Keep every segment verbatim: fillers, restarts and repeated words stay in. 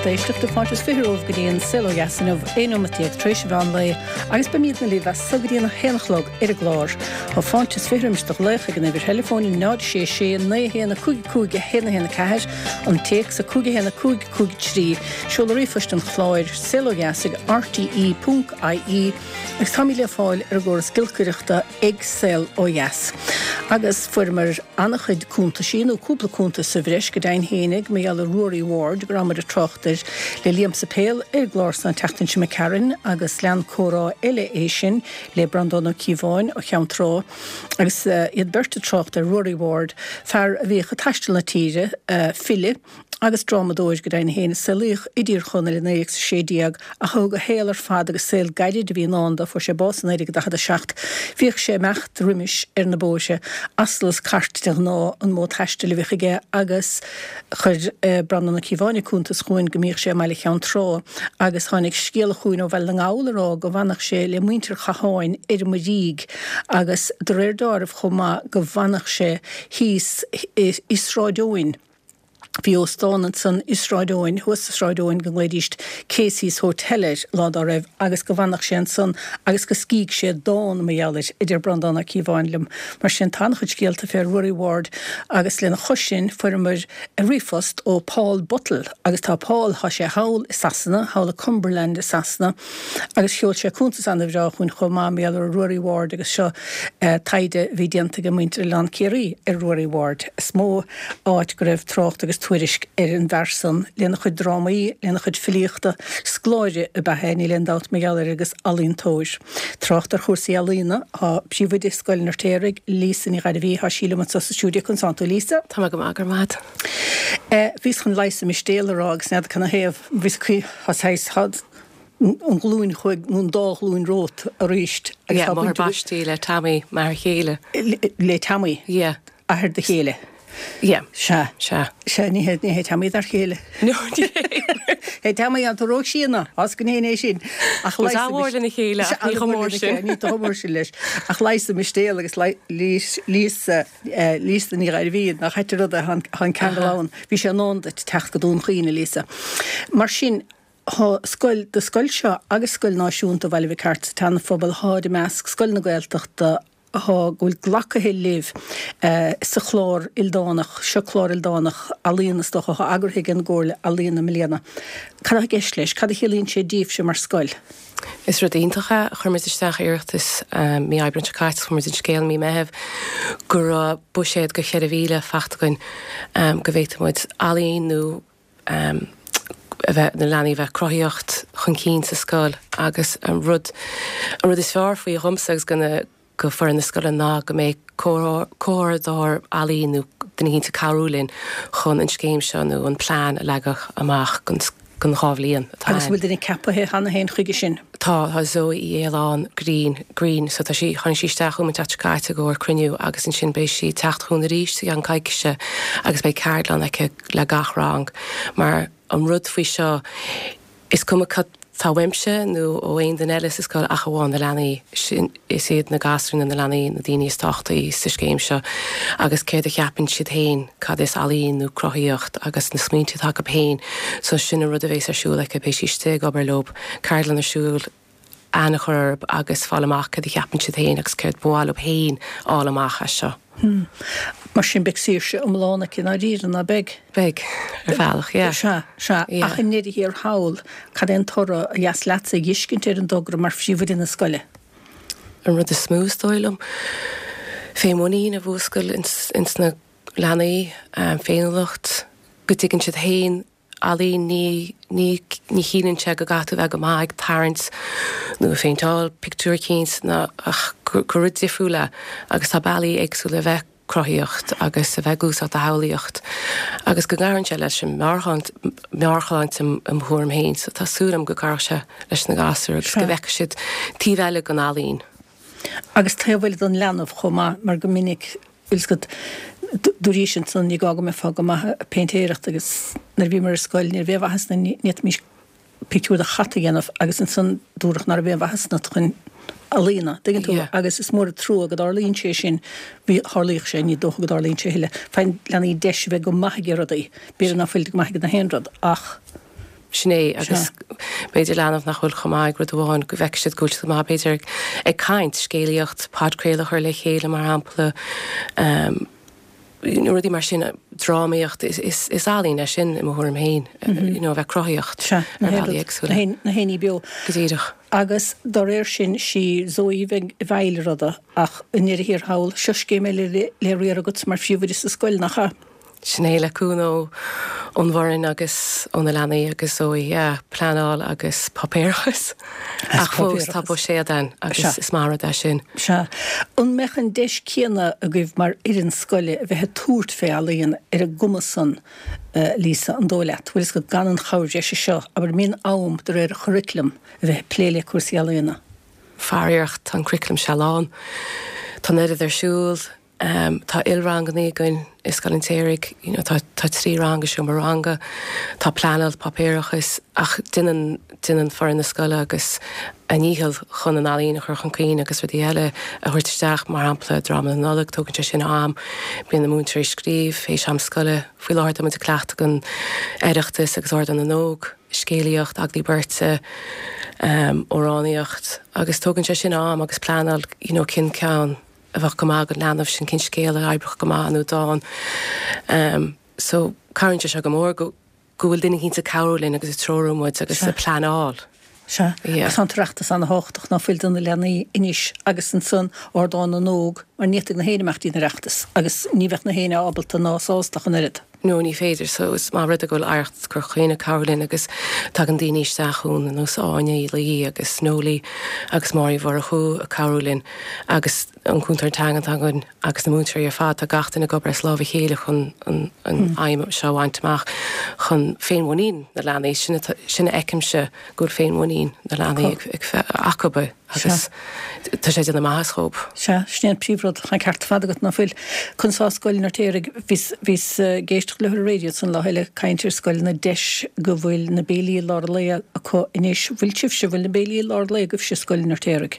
éisteachta fáilte is fiche romhaibh go dtí an Saol Ó Dheas inniu aon nóiméad déag tar éis an mheán lae agus beimidne libh as so go dtí an haon a chlog ar an gclár. Tá fáilte is fiche roimis do ghlaoch ag an uimhir theileafóin náid sé sé naoi a haon a cúig cúig a haon a haon a ceathair, an téacs a cúig a haon a cúig cúig trí, seoladh ríomhphoist an chláir, saol ó dheas ag R T E ponc I E agus táimid le fáil ar an gcóras giolcaireachta ag Saol Ó Dheas. Agus fuaireamar an-chuid cuntaisí nó cúpla cuntas sa bhreis go deimhin fhéinig mar gheall ar Ruairí Ward go rabhamar ag trácht air le Liam Suipéil ar an gclár san tseachtain seo imigh tharainn agus lean comhrá eile é sin le Breandán Ó Cíobháin ó Cheann Trá agus iad beirt ag trácht ar Ruairí Ward, fear a bhíodh ag taisteal na tíre, file agus drámadóir go deimhin féin a saolaíodh i dTír Chonaill i naoi déag a sé déag ach a thug a shaol ar fad agus saol gairid a bhí i ndán dó, fuair sé bás i naoi déag daichead a seacht. Bhíodh sé ag imeacht roimis ar na bóithre, asal is cairt de ghnáth an modh taistil a bhíodh aige agus chuir Breandán Ó Cíobháin cuntas chugainn go mbíodh sé i mbaile Cheann Trá agus tháinig scéala chugainn ó Bhaile na nGall ag rá go bhfanadh sé le muintir Chatháin ar an Muirígh agus de réir dealraimh chomh maith go bhfanadh sé thíos i Sráid Eoin. Bhí óstán ansan i Sráid Eoin, thuas i Sráid Eoin go nglaoidíst Casey's Hotel air lá dá raibh agus go bhfanadh sé ansan agus go scrígh sé dán mar gheall air, a deir Breandán Ó Cíobháin liom. Mar sin tá an-chuid scéalta fé Ruairí Ward agus lena chois sin fuaireamar ríomhphost ó Paul Buttle agus tá Paul, tá sé thall i Sasana, thall i Cumberland i Sasana agus sheol sé cuntas an-bhreá chugainn chomh maith mar gheall ar Ruairí Ward agus seo taighde a bhí déanta ag muintir Oileán Ciarraí ar Ruairí Ward. Is mó áit go raibh trácht agus tuairisc ar an bhfear san lena chuid drámaí, lena chuid filíochta, scoláire ab ea é, níl aon dabht mar gheall air agus ealaíontóir. Trácht ar chúrsaí ealaíona, tá príomhoide Scoil an Fheirtéaraigh, Lisa Ní Ghairbhí, tá sí liom anseo sa stiúideo conas tánn tú Lisa? Tá mé go maith go raibh maith. Eh, bhíos chun leigheas mistéal a rá agus n'fheadar canathaobh, bhíos cuí tá an ghlúin chuig nó an dá ghlúin romhat arís agus tá máthair baistí le Tommy mar chéile. Le Tommy? Yeah. Athair do chéile. Yeah. Sea. Sea. Sea, ní hé ní hé Tommy dar chéile. No, ní hé Tommy an rósína as go é sin ach leis lena chéile ach ní chomh mór sin. Ní chomh mór sin leis ach leigheas mistéal agus Lisa Lisa Ní Ghairbhí nach ait an rud é an ceangal ann. Bhí sé in am duit teacht go Dún Chaoin, Lisa. Mar sin tá scoil do scoil seo agus Scoil Náisiúnta Bhaile Mhic Airt sa tSeana-Phobal tháid i measc Scoil na Gaeltachta thá go bhfuil glactha libh sa chlár ildánach, seo clár ildánach ealaíon is dócha, atá eagraithe ag an gComhairle Ealaíon i mbliana. Cad atá i gceist leis? Cad a chiallaíonn sé daoibhse mar scoil? Is rud iontach é. Chuir muid isteach iarratas mí Aibreán seo caite, chuir muid an scéal mí Meitheamh go raibh buiséad go cheithre mhíle faighte againn go bhféadfadh muid ealaín nó a bheith na leanaí bheith cruthaíocht chun cinn sa scoil agus an rud an rud is fearr faoi dhomsa agus go na go foireann na scoile ná go mbeidh comhordaitheoir ealaíon nó duine éicint ag cabhrú linn chun an scéim seo nó an plean a leagadh amach don don dhá bhliain atá Agus bhfuil duine ceapaithe cheana féin chuige sin? Tá, tá Zoe Uí Fhaoláin Green, Green, so tá sí, tháinig sí isteach chugam an tseachtain seo caite i gcomhair cruinniú agus ansin beidh sí ag teacht chugainn arís i gceann coicíse agus beidh ceardlann aici le gach rang mar an rud faoi seo is cuma cad tá uaimse nó ó aon duine eile sa scoil ach amháin na leanaí sin is iad na gasúir nó na leanaí na daoine is tábhachtaí sa scéim seo agus céard a cheapann siad féin cad is ealaín nó cruthaíocht agus na smaointe atá acu féin so sin an rud a bhéas ar siúl aici beidh sí istigh ag obair leo ceardlann ar siúl aithne a chur orthu agus fáil amach cad a cheapann siad féin agus céard ba mhaith leo féin fháil amach as seo. Hmm. Mar sin beidh saoirse iomlán aici i ndáiríre, ná beidh? Beidh, ar bhealach, yeah. Sea, sea. Yeah. Ach i ndeireadh thiar thall, cad é an toradh a dheas leatsa a dh'fheiscint ar an dtogra mar phríomhoide na scoile? An rud is mó is dóigh liom, féinmhuinín a mhúscailt ins, ins na leanaí, féiniúlacht, go dtuigeann siad féin ealaín, ní, ní, ní chiallaíonn sé go gcaithfidh tú bheith go maith ag tarraingt nó ag péinteáil pictiúr eicínt ná ach gur, gur rud difriúil é agus tá bealaí éagsúla a bheith cruthaíocht agus a bheith ag úsáid do shamhlaíocht agus go gcabhraíonn sé leis an meabhairshláinte im thuairim féin so tá súil agam go gcabhróidh sé leis na gasúir agus go bhfeicfidh siad taobh eile den ealaín. Agus taobh eile den leanbh chomh maith mar go minic bhfuil 's agat dúraís ansan ní gá go mbeifeá go maith ag péintéireacht agus nuair a bhíomar ar scoil ní raibh aon mhaitheas ionainn ní fhéadfaimis pictiúr de chat a dhéanamh agus ansan dúradh ná raibh aon mhaitheas ionat chun ealaíona, dtuigeann tú, agus is mór an trua go dtarlaíonn sé sin, bhí, tharlaíodh sé, ní dócha go dtarlaíonn sé a thuilleadh. Faigheann leanaí deis a bheith go maith ag rudaí, b'fhéidir ná fuilid go maith ag na haon rud ach. Sin é agus b'fhéidir leanbh nach bhfuil chomh maith ag rud amháin go bhfeicfidh siad go bhfuil siad go maith b'fhéidir ag, ag caint, scéalaíocht, podchraoladh a chur le chéile mar shampla, um, you know, rudaí mar sin, drámaíocht, is, is, is ealaín é sin i mo thuairim féin, mm -hmm. you know, a bheith cruthaitheach Sea, na ar bhealaí éagsúla. na na héiní beo. Go díreach. Agus dá réir sin sí Zoe bheidh i bhfeighil ruda ach i ndeireadh thiar thall, seo scéim eile le, le riar agat mar phríomhoide sa scoil, nach ea? Sin é le cúnamh ón bhfoireann agus ó na leanaí agus Zoe, yeah, pleanáil agus páipéarachas. Ach fós tá buiséad ann agus is maith rud é sin. Sea. An mbeadh an deis céanna agaibh mar fhoireann scoile a bheith ag tabhairt fé ealaíon ar an gcuma san, Lisa, an dóigh leat? Bhfuil fhios agat gan an chabhair bhreise seo, abair, mbíonn am de réir churaclam a bheith ag plé le cúrsaí ealaíona? Faraor, tá an curriculum sé lán. Tá an oiread ar siúl. Um, tá ilranganna againn i Scoil an tSéaraigh, you know, tá, tá trí rang i seomra ranga, tá pleanáil páipéarachas ach déanann déanann foireann na scoile agus a ndícheall chun an ealaín a chur chun cinn agus rudaí eile a thabhairt isteach, mar shampla dráma na Nollag, tógann sé sin am, bíonn na múinteoirí ag scríobh théis am scoile, faoi láthair tá muid ag cleachtadh don Oireachtas agus Ardán na nÓg, scéalaíocht, agallaimh beirte, um, amhránaíocht agus tógann sé sin am agus pleanáil, you know, cén ceann a bheadh go maith don leanbh sin cén scéal a oibreodh go maith nó dán. Um, so cabhraíonn sé seo go mór go go bhfuil duine éicint ag cabhrú linn agus ag treorú muid agus ag pleanáil. Sea, Yeah. agus tá an tOireachtas ana-thábhachtach ná fuil do na leanaí anois agus ansan Ardán na nÓg mar ní fhéadfadh na héinne imeacht dtí an Oireachtas agus ní bheadh na héinne ábalta ná sásta ach an oiread. No, ní féidir, so is maith rud é go bhfuil Oidhreacht Chorca Dhuibhne ag cabhrú linn agus tagann daoine isteach chugainn ar nós Áine Uí Laoi agus Nólaí agus Máirí Mhurchú ag cabhrú linn agus an cúntóir teanga atá againn agus na múinteoirí ar fad, tá gach duine ag obair as lámh a chéile chun an, an aidhm seo a bhaint amach chun féinmhuinín na leanaí, sin atá- sin a fheicimse go bhfuil féinmhuinín na leanaí ag, ag fe- acu agus tá sé ag déanamh maitheas dhóibh. Sea, sin é an príomhrud, tá an ceart ar fad agat ná fuil. Conas tá Scoil an Fheirtéaraigh, bhíos, bhíos ag éisteacht le ar an raidió san lá eile caint ar scoil na deis go bhfuil na béilí lár lae acu anois. Bhfuil sibhse, bhfuil na béilí lár lae agaibhse i Scoil an Fheirtéaraigh?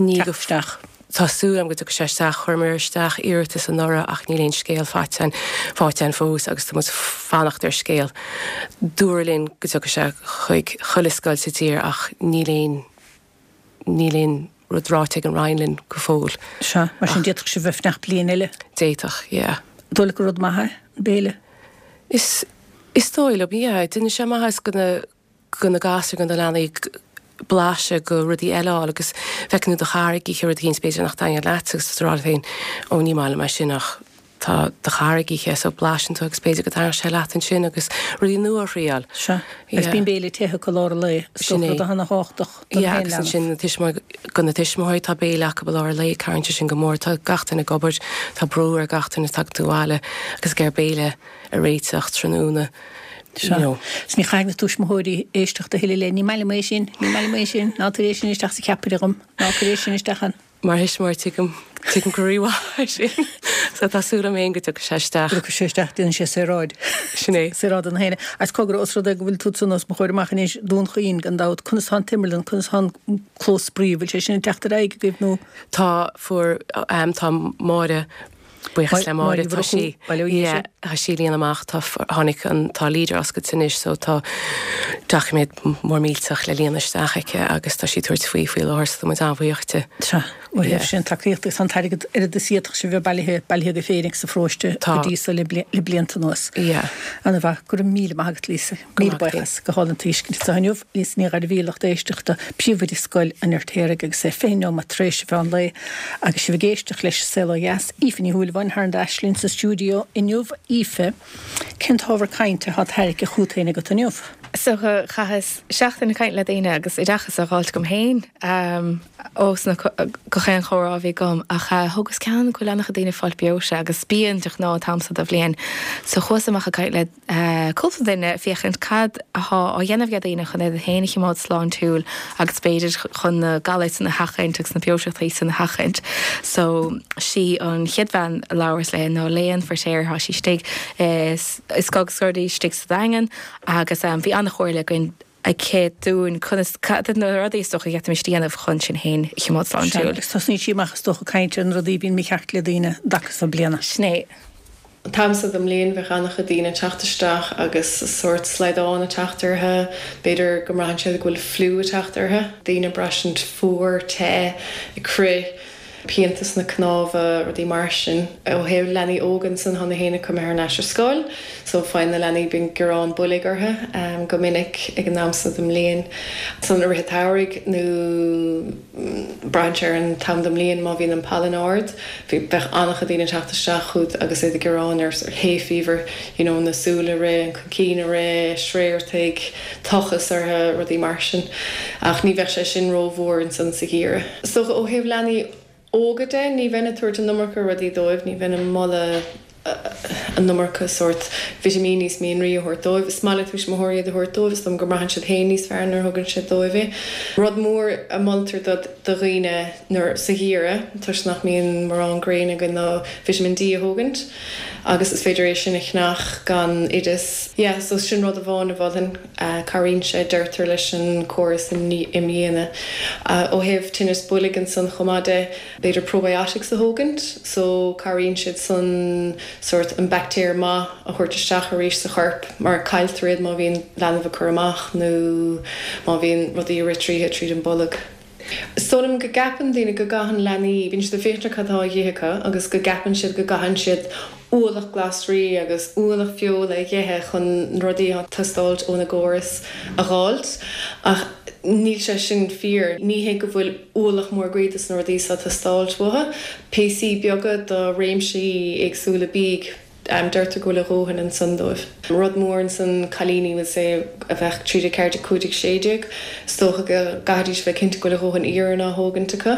Ní go Teacht isteach. Tá súil agam go dtiocfaidh sé isteach, chuireamar isteach iarratas anuraidh ach níl aon scéal faighte faighte againn fós agus tá muid fanacht ar scéal. Dúradh linn go dtiocfaidh sé chuig chuile scoil sa tír ach níl aon níl aon rud ráite ag an Roinn linn go fóill. Sea, mar sin d'fhéadfadh sibh bheith fanacht bliain eile. D'fhéadfadh, yeah. Dóigh leat gur rud maith é, an béile? Is is dóigh liom, yeah, déanann sé maitheas go na go na gasúir go na leanaí blaiseadh go rudaí eile a fháil agus feiceann tú do chara ag ithe rud éicint b'fhéidir nach dtaitníonn leat agus tú ag rá leat féin ó ní maith liom é sin ach tá do chara ag ithe so blaiseann tú agus b'fhéidir go dtaitneodh sé leat ansin agus rudaí nua a thriail. Sea, agus bíonn béile te acu lár an lae, is Sin dócha é. rud ana-thábhachtach don Yeah, haon agus leanbh. ansin na tuismitheoirí go na tuismitheoirí tá béile acu i lár an lae, cabhraíonn sé sin go mór, tá gach duine ag obair, tá brú ar gach duine tagann tú abhaile agus gur béile a réiteach tráthnóna. You Sea. know. Is ní chaithfidh na tuismitheoirí éisteacht a thuilleadh le ní maith liom é sin, ní maith liom é sin, ná tabhair é sin isteach sa cheapaire dhom, ná cuir é sin isteach ann. Mar thuismitheoir tuigim tuigim go rímhaith é sin. So tá súil agam féin go dtiocfaidh sé isteach. Go dtiocfaidh sé isteach, déanann sé saoráid. Sin é. Saoráid do na héinne. Agus cogar os rud é go bhfuil tú san os mo chomhair amach anois Dún Chaoin gan dabht, conas tá an t-imearlann, conas tá an clós spraoi, bhfuil sé sin ag teacht ar aghaidh agaibh nó? Tá fuair um, tá Máire buíochas le Máire Máire tá sí Mhurchú, Baile Ó yeah, Dhéise. tá sí líon amach tá tháinig an tá leader oscailte anois so tá doiciméad mór millteach le líonadh isteach aici agus tá sí tabhairt faoi faoi láthair so tá muid an-bhuíoch di. Sea, ó Yeah. thaobh sin tacaíocht agus an t-airgead oiread is d'fhéadfadh sibh bheith bailithe bailithe go féinig sa pharóiste Tá. go dtí so le bli- le blianta anuas. Yeah. Ana-mhaith, go raibh míle maith agat Lisa. Míle maith agat. buíochas go hálainn tuiscint sa inniu Lisa Ní Ghairbhí lucht éisteachta príomhoide Scoil an Fheirtéaraigh agus é fiche nóiméad tar éis a mheán lae agus sibh ag éisteacht leis Saol Ó Dheas Aoife Ní Shúilleabháin thar n-ais linn sa stiúideo inniu Aoife cén t-ábhar cainte atá tarraingthe chugat féin agat inniu. So chaitheas seachtain ag caint le daoine agus oideachas á fháilt agam féin um, ós na go chéan chomhrá a bhí agam ach uh, thugas cean go leanacha daoine fáil breoite agus bíonn de ghnáth an t-am seo den bhliain. So chuas amach ag caint le uh, cúpla duine féachaint cad atá á dhéanamh ag daoine chun iad féin a choimeád sláintiúil agus b'fhéidir chun na galair san a sheachaint agus na breoiteachtaí san a sheachaint. So sí an chéad bhean a labhras léi ná Léan Feirtéar tá sí istigh is is gog scordaí istigh sa Daingean agus um, bhí an-chomhairle againn aici dúinn conas cad na rudaí is dócha a déanamh chun sinn féin a choimeád sláintiúil. Agus tosnaíonn sí amach is dócha caint ar na rudaí bíonn mícheart le daoine dacas a bliana. Sin é. An t-am so den mbliain bheadh an-chuid daoine ag teacht isteach agus sórt slaghdán ag teacht orthu, b'fhéidir go mbraitheann siad go bhfuil fliú ag teacht orthu, daoine ag braistint fuar, te, ag crith, pianta sna cnámha, rudaí mar sin. Ó thaobh leanaí óga ansan tá na héinne imithe thar n-ais ar scoil, so faigheann na leanaí bíonn gearán boilg orthu go minic ag an am so den mbliain. San i rith an tsamhraidh nó braitheann sé ar an t-am den mbliain má bhíonn an pailin ard, bhí bheadh an-chuid daoine ag teacht isteach chugat agus iad ag gearán ar hay fever, you know na súile ag rith, an craiceann ag rith, sréartaigh, tochas orthu, rudaí mar sin. Ach ní bheadh sé sin rómhór ansan sa gheimhreadh. So ó thaobh leanaí óga de, ní bheinn ag tabhairt an iomarca rudaí dóibh, ní bheinn ag moladh an iomarca sórt vitimíní is mianraí a thabhairt dóibh. Is maith le tuismitheoirí iad a thabhairt dóibh, is dóigh liom go mbraitheann siad féin níos fearr nuair a thugann siad dóibh é. Rud mór a moltar do do dhaoine nuair sa gheimhreadh, toisc nach mbíonn mórán gréine againn ná vitamin D a thógaint agus is féidir é sin a cheannach gan oideas. Yeah, so sin rud amháin a mholfainn. Cabhraíonn sé, deirtear, leis an córas imdhíonadh. Ó thaobh tinneas boilg ansan chomh maith de, b'fhéidir probiotics a thógaint, so cabhraíonn siad san sórt an baictéar maith a thabhairt isteach arís sa chorp mar cailltear iad má bhíonn leanbh ag cur amach nó má bhíonn rudaí ag rith tríothu tríd an bolg. Is dóigh liom go gceapann daoine go gcaitheann leanaí, bíonn siad ag féachaint ar cad atá á dh'ithe acu agus go gceapann siad go gcaitheann siad ualach glasraí agus ualach feola a dh'ithe chun na rudaí atá ag teastáilt óna gcóras a dh'fháilt ach níl sé sin fíor. Ní hé go bhfuil ualach mór groí dos na rudaí seo ag teastáilt uathu. Píosaí beaga de réimsí éagsúla bídh. Deirtear go bhfuil a dhóthain ansan dóibh. Rud mór ansan, cailíní, we'll say, a bheadh trí déag, ceathair déag, cúig déag, sé déag, is dócha go gcaithfidís bheith cinnte go bhfuil a dhóthain iarainn á thógaint acu.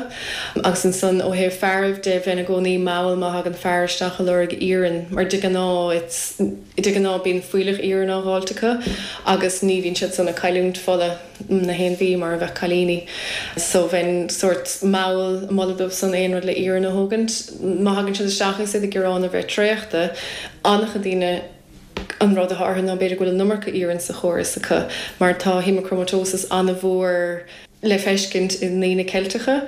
Agus ansan ó thaobh fearaibh de, bheinn i gcónaí mall má thagann fear isteach ag lorg iarainn, mar de ghnáth it's, de ghnáth bíonn fuílleach iarainn á dh'fháilt acu agus ní bhíonn siad san ag cailliúint fola. na haon mhí mar a bheadh cailíní. So bheinn sórt mall ag moladh dóibh san aon rud le iarann a thógaint. Má thagann siad isteach agus iad ag gearán a bheith traochta, an-chuid daoine an rud atá orthu ná b'fhéidir go bhfuil an iomarca iarainn sa chóras acu mar tá haemochromatosis an-mhór le feiscint i ndaoine Ceilteacha.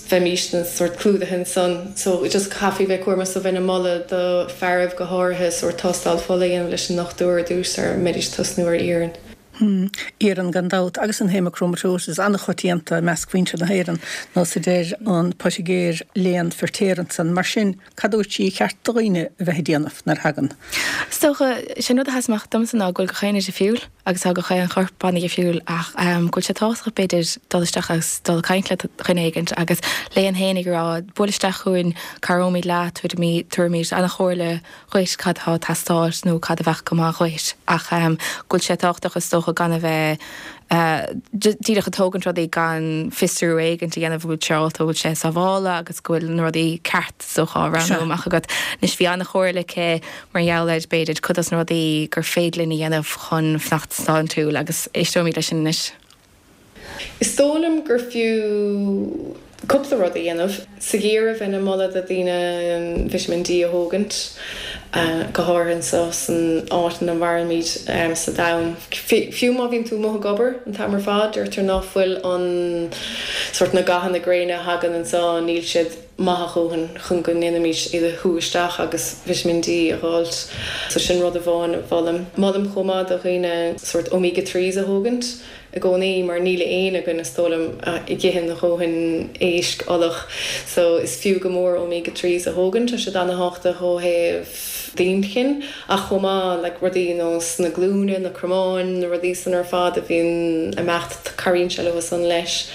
Bheimísne sórt clúdaithe ansan. So just caithfí bheith cúramach so bheinn ag moladh do fearaibh go háirithe sórt tástáil fola a dhéanamh leis an ndochtúir ar dtús sara mbeidís tosnú ar iarann. Iarann gan dabht, agus an haemochromatosis an-choitianta i measc mhuintir na hÉireann, nós a deir an poitigéir Léan Firtéar ansan. Mar sin, cad a dúirt sí ar cheart do dhaoine a bheith ag déanamh nuair a thagann? Is dócha, sé an rud a sheas amach domsa ná go bhfuil gach aon rud difriúil agus tá gach aon chorp an-dhifriúil ach go bhfuil sé tábhachtach b'fhéidir dul isteach agus dul ag caint le dhuine éigint agus Léan féin ag rá buail isteach chugainn, cabhróimid leat, tabharfaimid an-chomhairle dhuit cad atá ag teastáil nó cad a bheadh go maith dhuit ach go bhfuil sé tábhachtach is dócha gan a bheith díreach ag tógaint rudaí gan fiosrú éigint a dhéanamh an bhfuil sé ábalta, an bhfuil sé sábhála agus go bhfuil na rudaí ceart is dócha á roghnú amach agat. Anois bhí an-chomhairle aici mar gheall ar b'fhéidir cuid dos na rudaí gur féidir linn a dhéanamh chun fanacht sláintiúil agus éisteoimid leis sin anois. Is dóigh liom gur fiú cúpla rud a dhéanamh. Sa gheimhreadh bheinn ag moladh do dhaoine Vitamin D a thógaint, go háirithe anseo san áit ina mhairimid sa domhan. Fiú má bhíonn tú amuigh ag obair an t-am ar fad, deirtear ná fuil an sórt na gathanna gréine a thagann anseo, níl siad maith a dhóthain chun go ndéanfaimid iad a shú isteach agus Vitamin D a dh'fháilt. So sin rud amháin a mholaim. Molaim chomh maith do dhaoine sórt Omega threes a thógaint. i gcónaí mar níl éinne againn is dóigh liom a dh'itheann a dhóthain éisc olach so is fiú go mór omega threes a thógaint, tá siad ana-thábhachtach ó thaobh d'inchinn ach chomh maith like rudaí nós na glúine, na cromáin, na rudaí san ar fad a bhíonn ag imeacht cabhraíonn sé leo san leis.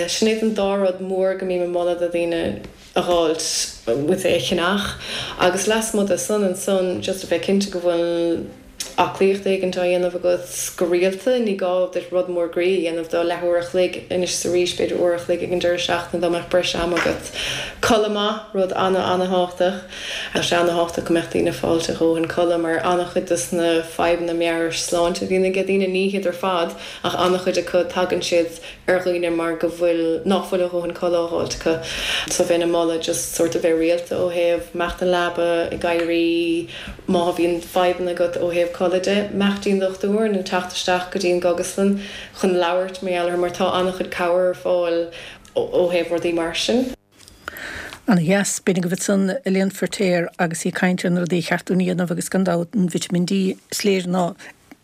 Sin iad an dá rud mór go mbím ag moladh do dhaoine a dh'fháilt, with é a cheannach agus lasmuigh de san ansan just a bheith cinnte go bhfuil aclaíocht éigint á dhéanamh agat go rialta, ní gá duit rud mór groí a dhéanamh do leathuair a chloig anois is arís, b'fhéidir uair a chloig ag an deireadh seachtaine dá mbeadh breis ama agat. Codladh maith, rud ana-ana-thábhachtach. Tá sé ana-thábhachtach go mbeadh daoine ag fáilt a dhóthain codladh mar an-chuid dos na fadhbanna meabhairshláinte a bhíonn ag daoine, ní hiad ar fad ach an-chuid acu, tagann siad ar dhaoine mar go bhfuil, nach bhfuil a dhóthain codladh á dh'fháilt acu. So bheinn ag moladh just sórt a bheith rialta ó thaobh imeacht 'on leaba, ag éirí, má bhíonn fadhbanna agat ó thaobh codladh de, imeacht dtí'n dochtúir nó teacht isteach go dtí an gcógaslann chun labhairt mar gheall air mar tá an-chuid cabhair ar fáil ó thaobh rudaí mar sin. Ana dheas, b'in agaibh ansan Elaine Feirtéar agus í ag caint ar na rudaí a cheart dúinn a dhéanamh agus gan dabht an Vitamin D is léir ná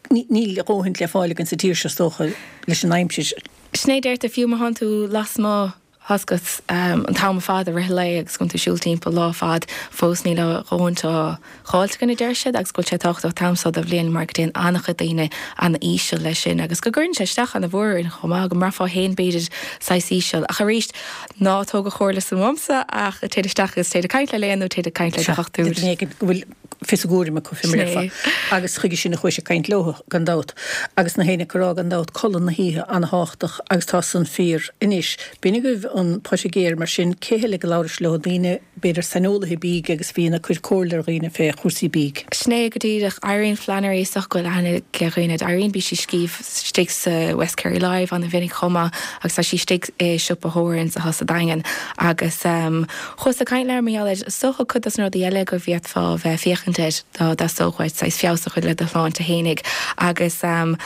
níl a dhóthaint le fáil againn sa tír seo is dócha leis an aimsir. Sin é deirtear fiú má thánn tú lasmuigh tá 's agat an t-am ar fad i rith an lae agus go bhfuil tú ag siúl timpeall lá fad fós níl a dhóthaint á dháilt againn a deir siad agus go bhfuil sé tábhachtach an t-am seo de bhliain mar go dtéann an-chuid daoine an-íseal leis sin agus go gcuireann sé isteach ana-mhór orainn chomh maith go mbraithfeá féin b'fhéidir saghas íseal ach arís ná tóg an chomhairle san uaimse ach téigh isteach agus téigh ag caint le Léan nó téigh ag caint le do dhochtúir. Duine éigin go bhfuil fios a gcúraim acu fé mar a déarfá. Agus chuige sin a chuaigh sé ag caint leo gan dabht. Agus na héinne ag rá gan dabht codladh na hoíche ana-thábhachtach agus tá san fíor anois. B'in agaibh an pota géar mar sin cé heile go labhrais leo daoine b'fhéidir saineolaithe bídh agus bhíonn ag cur comhairle ar dhaoine fé chúrsaí bídh. Sin é go díreach Irene Flannery is dócha go bhfuil aithne ag dhaoine ar Irene bhí sí scríobh istigh sa West Kerry Live ana-mhinic chomh maith agus tá sí istigh i siopa Horan's atá sa Daingean agus um, chuas ag caint léi mar gheall ar is dócha cuid dos na rudaí eile go bhféadfá bheith féachaint air dá dteastódh uait saghas feabhas a chur le do shláinte fhéinig agus um,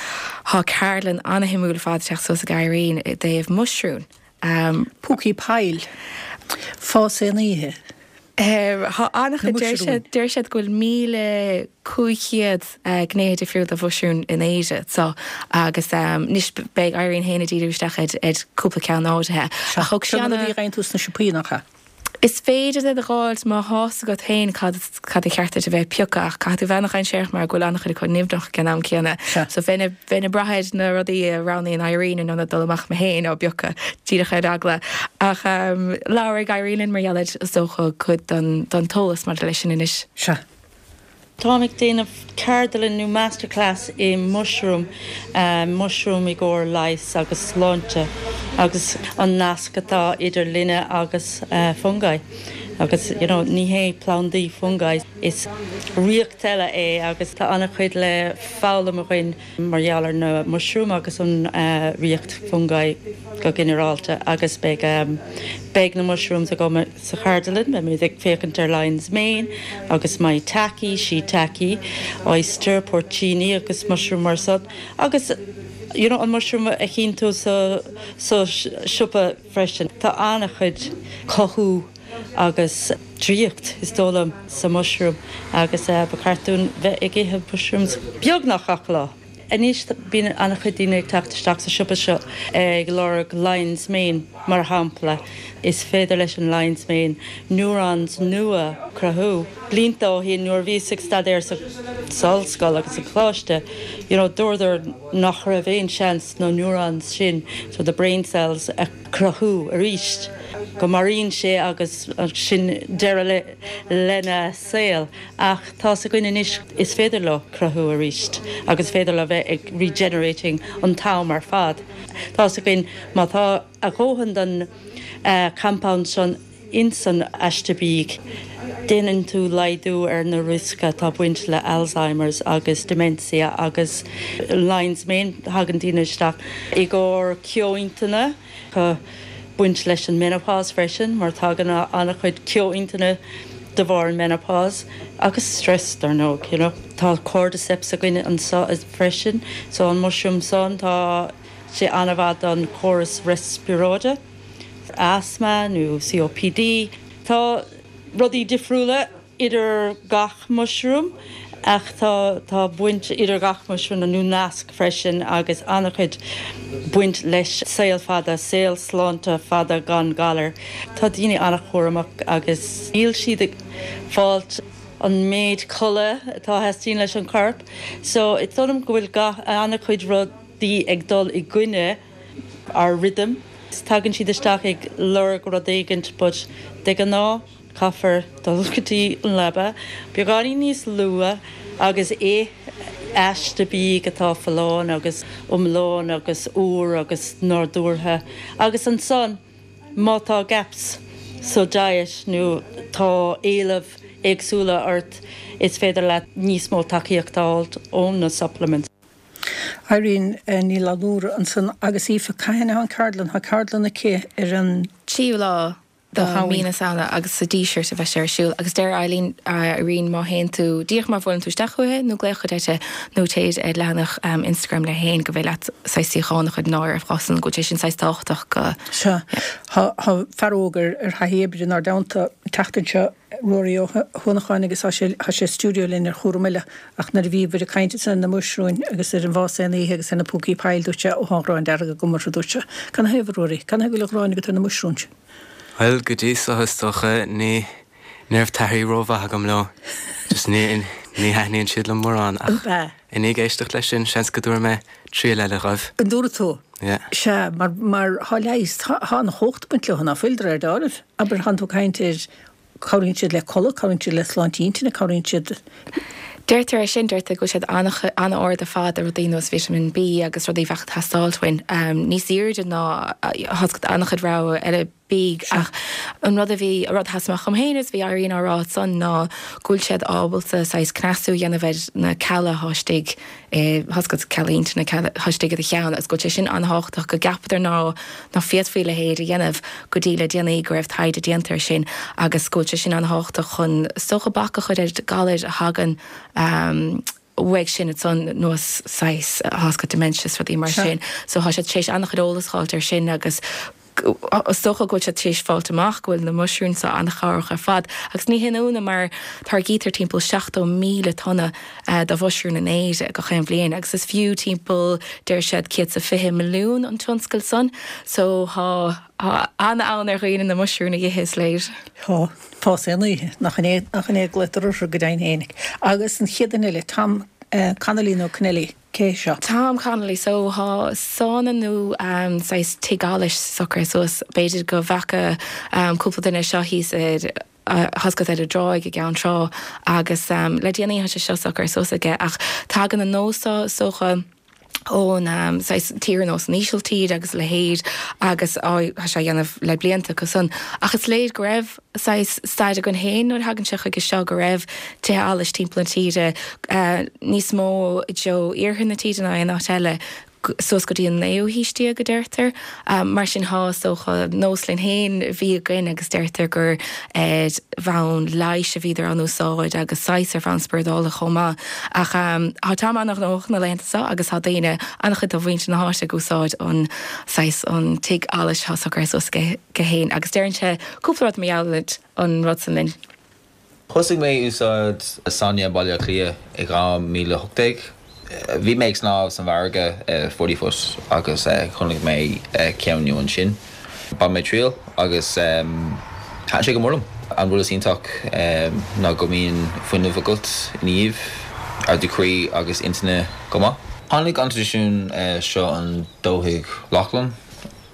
tá ceardlann ana-shuimiúil ar fad ag teacht suas ag Irene i dtaobh muisriúin. Um, Púcaí poill fás aon oíche. Tá an-chuid Na muisriúin. deir siad go bhfuil míle cúig chéad gnéithe difriúil de mhuisriúin in Éirinn so agus um, anois beidh Irene féin ag díriú isteach ar ar cúpla ceann áirithe. Ach thug sí Seo na ana- rudaí a gheibheann tú sna siopaí nach ea? Is féidir iad a fháil má tá 's agat féin cad cad a cheart a bheith piocadh ach caithfidh tú bheith an-dainséarach mar go bhfuil an-chuid acu nimhneach ag an am céanna. Sea. So bheinn bheinn ag brath ar na rudaí a roghnaíonn Irene in ionad dul amach mé féin á bpiocadh díreach ar eagla. Ach um, labhraigh Irene mar gheall ar is dócha cuid don don t-eolas maidir leis sin anois. Sea. Táim ag déanamh ceardlann nó masterclass i mushroom uh, mushroom i gcomhair leighis agus sláinte agus an nasc atá idir linne agus uh, fungi. Agus you know, ní hé plandaí fungi is ríocht eile é agus tá an-chuid le foghlaim againn mar gheall ar na mushroom agus an uh, ríocht fungi go ginearálta agus beidh um, beidh na mushrooms agam sa cheardlann, beimid ag féachaint ar lion's mane agus maitake, shiitake, oyster, porcini agus mushroom mar san agus you know, an mushroom a chíonn tú sa sa siopa freisin. Tá an-chuid cothú agus draíocht is dóigh liom sa mushroom agus uh, ba cheart dúinn bheith ag ithe mushrooms beagnach gach lá. Anois bíonn an-chuid daoine ag teacht isteach sa siopa seo ag lorg lion's mane mar shampla. Is féidir leis an lion's mane neurons nua cruthú. Blianta ó shin nuair bhíos ag staidéar sa ollscoil agus sa choláiste, you know, dúradar nach raibh aon seans na neurons sin, so the brain cells a cruthú arís. Go maraíonn sé agus sin deireadh le lena saol ach tá againn anois is féidir leo cruthú arís agus féidir le bheith ag regenerating an t-am ar fad. Tá againn má tá a dhóthain den uh, compound san insan aiste bídh. Déanann tú laghdú ar na riosca atá baint le Alzheimer's agus dementia agus lion's mane tagann daoine isteach i gcomhair ceo intinne tá baint leis an menopause freisin mar tagann an-chuid ceo intinne de bharr an menopause agus stress dar ndóigh you know. Tá cordyceps againn anseo freisin, so an mushroom san tá sé an-mhaith don chóras riospráide, asthma nó COPD. Tá rudaí difriúla idir gach mushroom ach tá tá baint idir gach mushroom nó nasc freisin agus an-chuid baint leis saol fada saol sláinte fada gan galar. Tá daoine an-chúramach agus níl siad ag fáilt an méid codladh atá teastaíonn leis an corp, so is dóigh liom go bhfuil gach an-chuid rudaí ag dul i gcoinne ár rhythm. Tagann siad isteach ag lorg rud éigin but de ghnáth caithfear dul go dtí an leaba, beagáinín níos luaithe agus é aiste bídh atá folláin agus iomlán agus úr agus nádúrtha. Agus ansan má tá gaps sa diet nó tá éilimh éagsúla ort is féidir leat níos mó tacaíocht a fháil ó na supplements. Irene eh, Ní Fhlanúra ansan agus Aoife cathain an ceardlann tá ceardlann aici ar an Tríú lá Do mhí na Samhna agus sa Díseart a bheidh sé ar siúl agus deir Eileen Irene má théann tú díreach má bhuaileann tú isteach chuici nó glaoch uirthi nó téid ar leathanach Instagram léi féin go bhféidir leat saghas suíochán a chur in áirithe freisin go bhfuil sé sin saghas tábhachtach go Sea. Tá fear óg ar ar thaithí oibre inár dteannta an tseachtain seo, Ruairí Ó hUanacháin agus tá sé tá sé i stiúideo linn ar chúram eile ach nuair a bhíobhair ag caint ansan ar na muisriúin agus ar an bhfás aon oíche agus ar na púcaí poill dúirt sé ó thá an ghráin dearg agam orthu dúirt sé. Canathaobh a Ruairí? Canathaobh go bhfuil an ghráin agat ar na muisriúin? Bhuel, go dtí so is dócha, ní, ní raibh taithí rómhaith agam leo. Just ní, ní thaitníonn siad liom mórán ach Ab ea? i ndiaidh éisteacht leis sin, seans go dtabharfaidh mé triail eile dhóibh. An dtabharfaidh tú? Yeah. Sea, mar, mar thá leigheas, thá, thá an chumhacht ag baint leo, ná fuil, de réir dealraimh. Abair, thánn tú ag caint ar, cabhraíonn siad le codladh, cabhraíonn siad le sláinte intinne, cabhraíonn siad. Deirtear é sin, deirtear go bhfuil siad an-ard ar fad ar rudaí nós Vitamin B agus rudaí a bheadh ag teastáilt uainn, níos airde ná an-chuid rogha eile bídh. Ach an rud a bhí, an rud a sheas amach dhom féin is a bhí Irene á rá ansan ná go bhfuil siad ábalta saghas cneasú a dhéanamh ar na cealla atá istigh i, tá's agat, cealla intinne, cealla atá istigh i do cheann agus go bhfuil sé sin an-thábhachtach go gceapadar ná ná féadfaí a leithéid a dhéanamh go dtí le déanaí go raibh taighde déanta ar sin agus go bhfuil sé sin an-thábhachtach chun is dócha bac a chur ar ghalair a thagann uaidh sin ansan nós saghas tá's agat dementia is rudaí mar sin. So tá siad tar éis an-chuid eolas a fháilt ar sin agus is dócha go bhfuil siad tar éis fáilt amach go bhfuil na muisriúin seo an-chabhrach ar fad. Agus ní haon ionadh mar táirgítear timpeall seachtó míle tonna de mhuisriúin in Éirinn gach aon bhliain agus is fiú timpeall deir siad céad is a fiche milliún an tionscal san. So tá tá an-fhonn ar dhaoine na muisriúin a dh'ithe is léir. Tá. Fás aon oíche. Nach in é nach in é a glaotar orthu go deimhin féinig. Agus an chéad duine eile, Tom Connolly nó Connelly, cé hé seo? Tom Connolly, So tá sána nó saghas tigh allais socraithe suas. B'fhéidir go bhfaca cúpla duine seo thíos ar tá's agat ar an dtráigh i gCeann Trá agus le déanaí tá sé seo socraithe suas aige ach tagann an nós seo is dócha ón saghas tír ar nós an Ísiltír agus a leithéid agus tá sé á dhéanamh le blianta acu san. Ach is léir go raibh saghas stair againn féin nuair a thagann sé chuige seo go raibh tithe allais timpeall na tíre, níos mó i dtreo iarthar na tíre ná aon áit eile, suas go dtí an naoú haois déag a deirtear. Mar sin tá is dócha nós linn féin a bhí againn agus deirtear gur ar bhonn leighis a bhíodar á n-úsáid agus saghas ar bhonn spioradálta chomh maith. Ach tá Tom an-ghnóthach na laethanta seo agus tá daoine, an-chuid de mhuintir na háite ag úsáid an saghas an tigh allais atá socraithe suas aige féin agus deireann sé cúpla rud mar gheall ar an rud san linn. Thosaigh mé ag úsáid sauna i mBaile Átha Cliath i dhá mhíle a hocht déag. Bhí mé ag snámh san bhfarraige i Forty Foot agus chonaic mé ceann nua ansin. Bhain mé triail agus thaitin sé go mór liom. An rud is iontach ná go mbíonn fuinneamh agat ina dhiaidh, ardú croí agus intinne go maith. Tháinig an traidisiún seo ón dúiche Lochlann.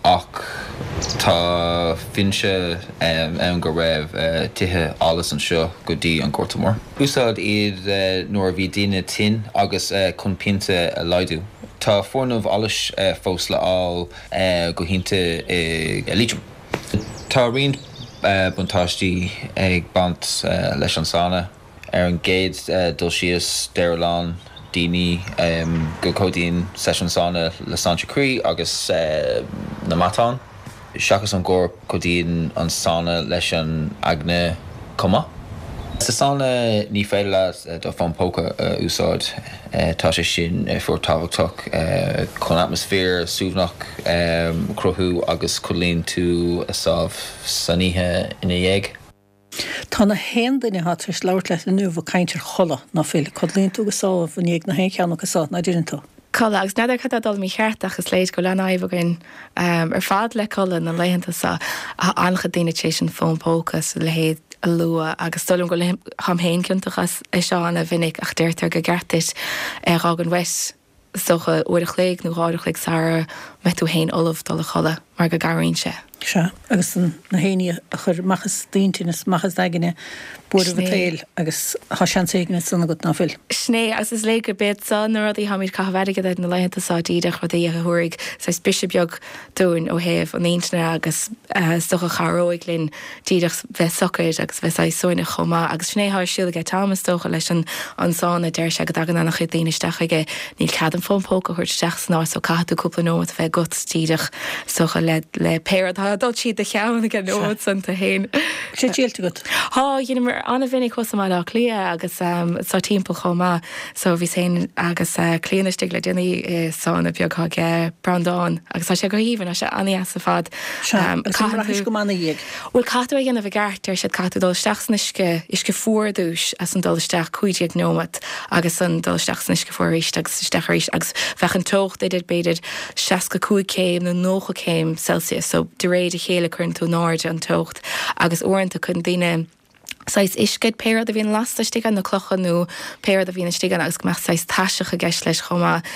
Ach tá fianaise ann go raibh tithe allais anseo go dtí an Gorta Mór. Úsáideadh iad nuair a bhí daoine tinn agus chun pianta a laghdú. Tá foirgnimh allais fós le fáil go hiontach i Liatroim. Tá roinnt buntáistí ag baint leis an sauna. Ar an gcéad dul síos, deir a lán daoine go gcuidíonn seisiún sauna le sláinte croí agus na matán. Seachas an gcorp, cuidíonn an sauna leis an aigne chomh maith. Sa sauna ní féidir leat do fón póca a úsáid. Tá sé sin fíorthábhachtach chun atmaisféar suaimhneach a chruthú agus codlaíonn tú sámh san oíche ina dhiaidh. Tá na haon duine atá tar éis labhairt leat inniu ag caint ar chodladh, ná fuil? Codlaíonn tú go sámh i ndiaidh na haon cheann acu so, ná deireann tú? Codladh, agus n'fheadar cad tá ag dul mícheart ach is léir go bhfuil an-fhadhb againn ar fad le codladh na laethanta seo. Tá an-chuid daoine tar éis an fón póca is a leithéid a lua agus is dóigh liom go bhfuil táim féin ciontach as é seo an-mhinic ach deirtear gur ceart duit é a dh'fhágaint uait is dócha uair a chloig nó dhá uair a chloig sara mbeidh tú féin ullamh dul a chodladh mar go gcabhraíonn sé. Sea, agus na haon ní a chuir amach as d'intinn is amach as d'aigne buaireamh Sin an é. tsaoil agus tá seans éigin ansan agat, ná fuil? Sin é, agus is léir gurb iad seo na rudaí táimid ag caitheamh airgid air na laethanta seo, díreach rudaí a thabharfaidh saghas briseadh beag dúinn ó thaobh an intinne agus is dócha a chabhróidh linn díreach bheith socair agus bheith saghas suaimhneach chomh maith. Agus sin é atá ar siúl aige Tom is dócha leis an an sána, deir sé go dtagann an-chuid daoine isteach chuige, níl cead an fón póca a thabhairt isteach san áit so caithfidh tú cúpla nóiméad a bheith agat díreach so le le pé rud atá ag dul tríd do cheann ag an nóiméad san tú féin. Sé triailte agat? Tá, dheineamar an-mhinic thuas i mBaile Átha Cliath agus um, sa timpeall chomh maith so bhíos féin agus uh, Clíona istigh le déanaí i sána beag ag Breandán agus tá sé go haoibhinn, tá sé an-deas ar fad. Um, Caithfidh go maith ina dhiaidh. Bhuel caithfidh tú é a dhéanamh i gceart deir siad caithfidh tú dul isteach san uisce uisce fuar ar dtús agus ansin dul isteach cúig déag nóiméad agus ansin dul isteach san uisce fuar arís agus isteach arís agus bheadh an teocht idir b'fhéidir seasca cúig céim nó nócha céim Celsius so de réir a chéile cuireann tú in airde an teocht agus uaireanta cuireann daoine saghas uisce pé rud a bhíonn lasta istigh ann na clocha nó pé rud a bhíonn istigh ann agus go mbeadh saghas taiseach i gceist leis chomh maith.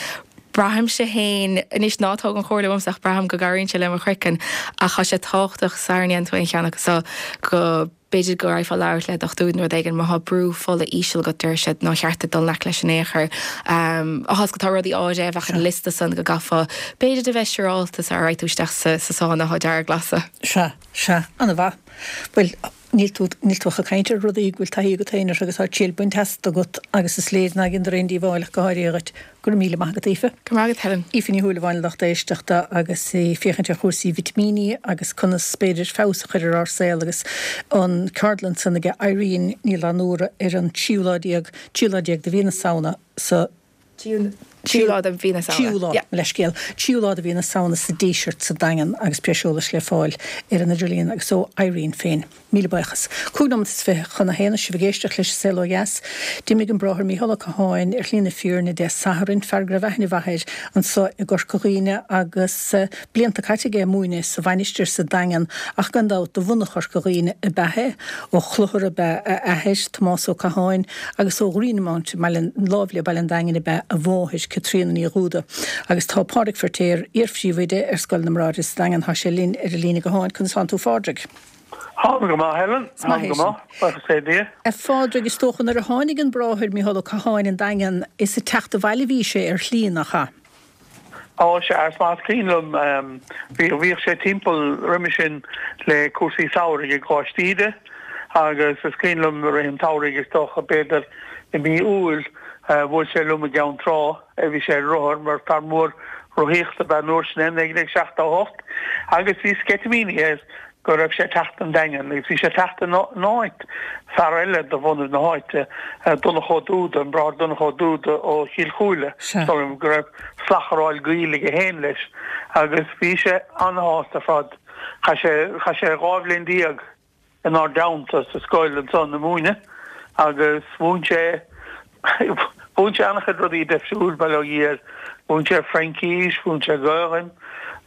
Braithimse féin anois ná tóg an chomhairle uaimse ach braithim go gcabhraíonn sé le mo chraiceann ach tá sé tábhachtach sara ndéanann tú aon cheann acu so go b'fhéidir go raghfá labhairt le dochtúir nó rud éigin má tá brú fola íseal agat deir siad nár cheart duit dul in aice leis in aon chor. Um, Áthas go tá rudaí áirithe a bheadh ar an liosta san go gcaithfeá b'fhéidir de bheith siúrálta sara raghadh tú isteach sa sa sána atá dearg-ghlasa. Sea, sea, an-mhaith. Bhuel, níl tú níl tú ach ag caint ar rudaí go bhfuil taithí agat féin orthu agus tá triail bainte astu agat agus is léir nach ndéantar aon díobháil ach go háirithe dhuit. Go raibh míle maith agat, Aoife. Go raibh maith agat, Helen. Aoife Ní Shúilleabháin lucht éisteachta agus í ag féachaint ar chúrsaí vitimíní agus conas b'fhéidir feabhas a chur ar ár saol agus an ceardlann san aige Irene Ní Fhlannúra ar an tríú lá déag, tríú lá déag de mhí na Samhna sa Tríú lá de mhí na Samhna. Tríú lá, mo leithscéal. Tríú lá de mhí na Samhna sa Díseart sa Daingean agus breis eolais le fáil ar an idirlíon agus ó Irene féin. Míle buíochas. Cúig nóiméad is fiche chun a haon sibh ag éisteacht leis an Saol Ó Dheas. D'imigh an Bráthair Mícheál Ó Catháin ar shlí na fírinne Dé Sathairn, fear go raibh aithne mhaith air anseo i gCorca Dhuibhne agus blianta caite aige ag múineadh sa Mhainistir sa Daingean ach gan dabht de bhunadh Chorca Dhuibhne ab ea é. Ó Chlochar ab ea a athair, Tomás Ó Catháin, agus ó Ghreenmount i mBaile, láimh le Baile an Daingin ab ea a mháthair, Caitríona Ní Dhúda. Agus tá Pádraig Feirtéar, iar-phríomhoide ar Scoil na mBráithre sa Daingean, tá sé linn ar an líne gutháin. Conas tánn tú, a Phádraig? Táim go maith, Helen. Is maith Táim go é sin. maith. Buíochas le Dia. A Phádraig, is dócha nuair a tháinig an Bráthair Mícheál Ó Catháin an Daingean, is ag teacht abhaile a bhí sé ar shlí, nach ea? Ó, sea, is maith is cuimhin liom, bhí, bhíodh sé timpeall roimhe sin le cúrsaí samhraidh i gColáiste Íde agus is cuimhin liom i rith an tsamhraidh, is dócha, b'fhéidir i mí Iúil, bhuail sé liom i gCeann Trá, bhí sé ar rothar mar fear mór rothaíochta ab ea an uair sin é, naoi déag seachtó a hocht, agus bhí sceitimíní air go raibh sé ag teacht an Daingean agus bhí sé ag teacht in áit fear eile de bhunadh na háite, Donncha Ó Dúda, an Bráthair Donncha Ó Dúda ó Chill Chúile, Sea. go raibh slacharáil gaoil aige féin leis agus bhí sé an-shásta ar fad. Chaith sé, chaith sé dhá bhliain déag inár dteannta sa scoil ansan ag múineadh agus mhúin sé, mhúin sé an-chuid rudaí deifriúil, bail ó Dhia air. Mhúin sé Fraincís, mhúin sé Gaelainn,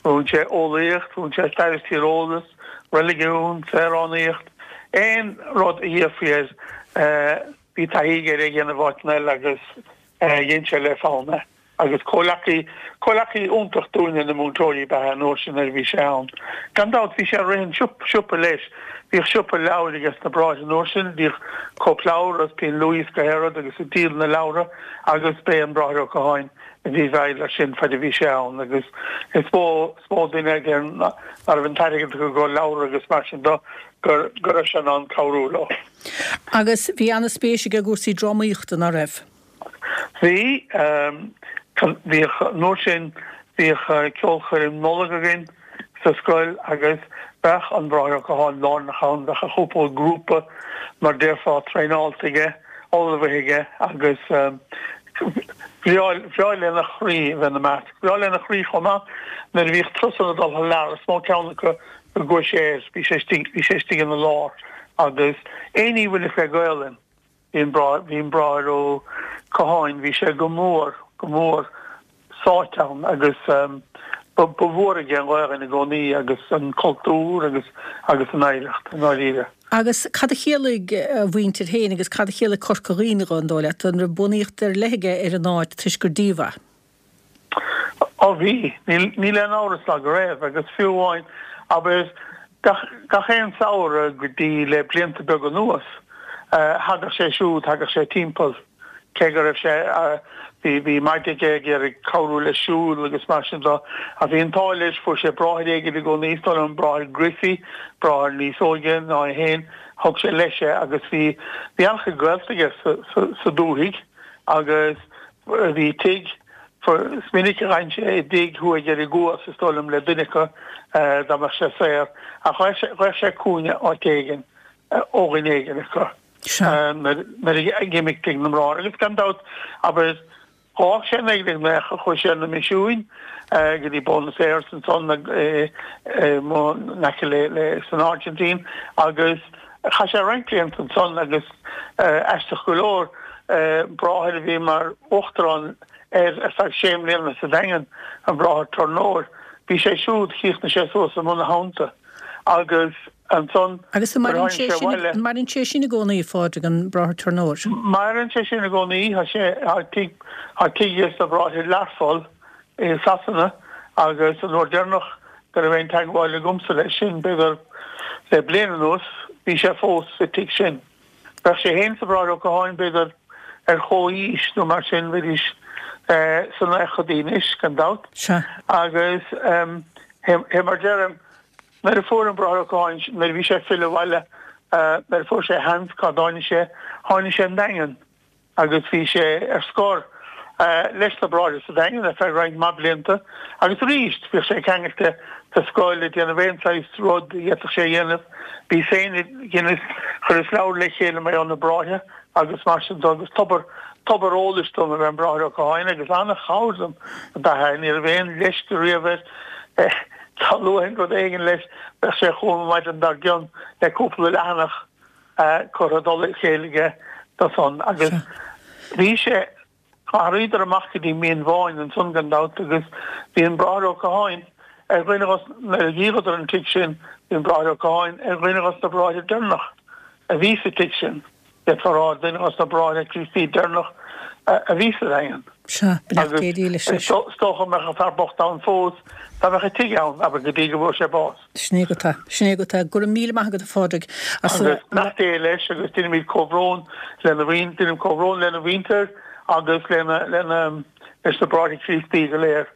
mhúin sé eolaíocht, mhúin sé stair is tíreolas, reiligiún, saoránaíocht, aon rud a d'iarrfaí air bhí taithí aige air a dhéanamh áiteanna eile agus dhein sé le fonn é. Agus comhleacaí, comhleacaí iontach dúinne na múinteoirí ab ea é an uair sin nuair a bhí sé ann. Gan dabht bhí sé ag rith an siopa leis, bhíodh siopa leabhair aige sna Bráithre an uair sin, bhíodh cóipleabhar agus Pinn Luaidhe is gach aon rud agus ag díol na leabhra agus b'é an Bráthair Ó Catháin a bhí i bhfeighil air sin faid a bhí sé ann agus is mó, is mó duine a deir ná raibh an t-airgead acu do leabhra agus mar sin do go raibh sé in ann cabhrú leo. Agus bhí ana-spéis aige i gcúrsaí drámaíochta, ná raibh? Bhí. Bhíodh, an uair sin, bhíodh ceolchoirm Nollag againn sa scoil agus bheadh an Bráthair Ó Catháin lárnach ann, bheadh a chúpla grúpa, mar déarfá, traenáilte aige, ullmhaithe aige agus bhreá, bhreá lena chroí a bheith ina measc. Bhreá lena chroí chomh maith nuair a bhíodh turasanna ag dul thar lear, is mó ceann acu go gcuaigh sé air, bhí sé istigh, bhí sé istigh ina lár agus aon ní a bhainfeadh le Gaolainn. Bhí an bhí an Bráthair Ó Catháin, bhí sé go mór, go mór sáite ann agus ba mhór aige an Ghaelainn i gcónaí agus an cultúr agus agus an oidhreacht, i ndáiríre. Agus cad a chiallaigh a mhuintir féin agus cad a chiallaigh Corca Dhuibhne dhó, an dóigh leat? An raibh buannaíocht ar leith aige ar an áit toisc gur díobh é? Ó bhí, níl aon amhras ná go raibh, agus fiú amháin, abair, gach, gach aon samhradh go dtí le blianta beaga anuas, thagadh sé siúd, thagadh sé timpeall, cé go raibh sé, bhí, bhí maide aige ag iarraidh cabhrú leis siúl agus mar sin de, ach bhí an t-ádh leis, fuair sé bráthair éigin i gcónaí, is dóigh liom an Bráthair Griffey, bráthair níos óige ná é féin, thug sé leis é agus bhí, bhí an-chuid gaolta aige sa, sa, sa dúthaigh agus bhí tigh, Is minic a d'fhan sé i dtigh thuaidh ar an gCuas, is dóigh liom, le duine acu dá mbeadh sé saor, ach gheibheadh sé cúinne áit éigin ó dhuine éigin acu nuair a ag imeacht tigh na mBráthar. Agus gan dabht, abair, dh'fhág sé naoi déag naocha, chuaigh sé ar na misiúin go dtí Buenos Aires ansan in aice le san Airgintín agus chaith sé roinnt blianta ansan agus aisteach go leor, bráthair a bhí mar uachtarán air ar feadh sé mbliana sa Daingean, an Bráthair Tornóir. Bhí sé siúd, chríochnaigh sé suas amuigh ina theannta agus ansan Agus an maireann sé sin, an maireann sé sin i gcónaí, a Phádraig, an Bráthair Tornóir? Maireann sé sin i gcónaí, tá sé, tá tigh, tá tigh aige sna Bráithre i Learpholl i Sasana agus an uair deireanach go raibh aon teagmháil agamsa leis sin, b'fhéidir le bliain anuas, bhí sé fós sa tigh sin. Bheadh sé féin is an Bráthair Ó Catháin, b'fhéidir, ar chomhaois nó mar sin, bheidís sna naochadaí anois, gan dabht. Sea. Agus fé mar deirim, nuair a fuair an Bráthair Ó Catháin, nuair a bhí sé ag filleadh abhaile, nuair a fuair sé a sheans, cá dtáinig sé? Tháinig sé an Daingean agus bhí sé ar scor leis na Bráithre sa Daingean ar feadh roinnt mhaith blianta agus arís bhíodh sé ceangailte sa scoil ag déanamh aon saghas rud a d'fhéadfadh sé a dhéanamh. Bhíos féin ag, dheineas, chuireas leabhar le chéile mar gheall ar na Bráithre agus mar sin de agus tobar, tobar eolais dom ab ea an Bráthair Ó Catháin agus an-chabhair dom ab ea é. Ní raibh aon leisce riamh air. Dá luafainn rud éigin leis bheadh sé chugam an mhaidin dár gcionn le cúpla leathanach curtha i dtoll a chéile aige dó san agus bhí sé, D'athraíodar amach go dtí Mín Bháin ansan gan dabht agus bhí an Bráthair Ó Catháin ar dhuine dhos, nuair a dhíoladar an tigh sin, bhí an Bráthair Ó Catháin ar dhuine dhos na bráithre deireanach a bhí sa tigh sin, d'fhéadfá a rá, duine dhos na bráithre Críostaí deireanach a bhí sa Daingean. Sea, beannacht Dé dílis leis. Agus is dócha go mbeadh an fear bocht ann fós dá mbeadh an tigh ann, abair, go dtí go bhfuair sé bás. Sin é agat é. Sin é agat é. Go raibh míle maith agat, a Phádraig, as a. Agus beannacht Dé leis agus deinimid comhbhrón lena mhuin, deinim comhbhrón lena mhuintir agus lena, lena, leis na Bráithre Críostaí go léir.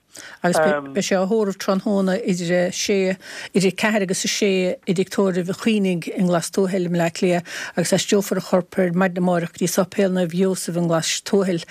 Agus beidh sé á thórramh tráthnóna idir a sé, idir a ceathair agus a sé i dTigh Tórraimh Chaonaigh i nGlas Tuathail i mBleá Cliath agus aistreofar a chorp ar maidin amárach go dtí Sáipéal Naomh Iósaf i nGlas Tuathail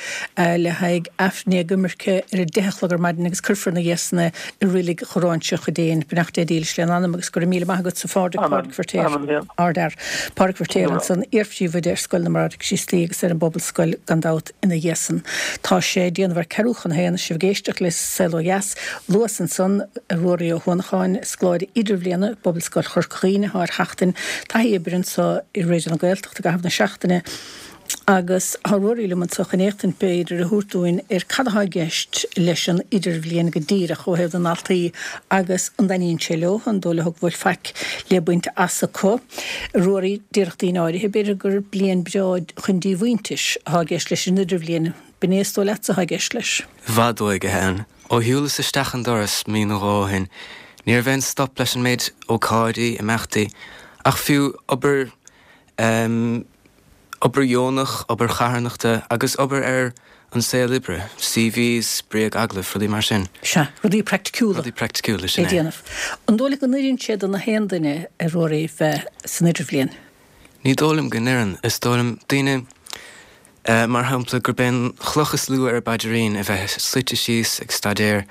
le haghaidh Aifreann éagoimirce ar a deich a chlog ar maidin agus cuirfear ina dhiaidh san é i Reilig Ghráinseach an Déin. Beannacht Dé dílis lena anam agus go raibh míle maith agatsa Phádraig, Pádraig Feirtéar, Ardfhear. Pádraig Feirtéar ansan, iar-phríomhoide ar Scoil na mBráithre Críostaí agus ar an bPobalscoil gan dabht ina dhiaidh san. Tá sé ag déanamh ar ceathrú chun a haon, sibh ag éisteacht le Saol Ó Dheas. Luas ansan Ruairí Ó hUanacháin, scoláire idirbhliana i bPobalscoil Chorca Dhuibhne atá ar sheachtain taithí oibre anso i Raidió na Gaeltachta i gcaitheamh na seachtaine. Agus tá Ruairí liom anso chun éachtaint, b'fhéidir, a thabhairt dúinn ar cad atá i gceist leis an idirbhliain go díreach ó thaobh na ndaltaí agus an dtaitníonn sé leo, an dóigh leo go bhfuil faic le baint as acu. Ruairí, déarfadh daoine áirithe, b'fhéidir, gur bliain breá chun díomhaointis atá i gceist leis an idirbhliain. B'in é is dóigh leatsa atá i gceist leis? I bhfad uaidh, a Helen. Ó shiúlas isteach an doras mí nó dhó ó shin, ní raibh aon stop leis an méid ócáidí, imeachtaí, ach fiú obair, em, Obair dheonach, obair charthanachta agus obair ar an saol oibre, CVs, bréag-agallaimh, rudaí mar sin. Sea, rudaí praiticiúla. Rudaí praiticiúla, sin é. Déanamh. An dóigh leat go n-oireann sé do na haon duine, a Ruairí, bheith san idirbhliain? Ní dóigh liom go n-oireann. Is dóigh liom, daoine, mar shampla, gurb é an chloch is lú ar a bpaidirín a bheith suite síos ag staidéar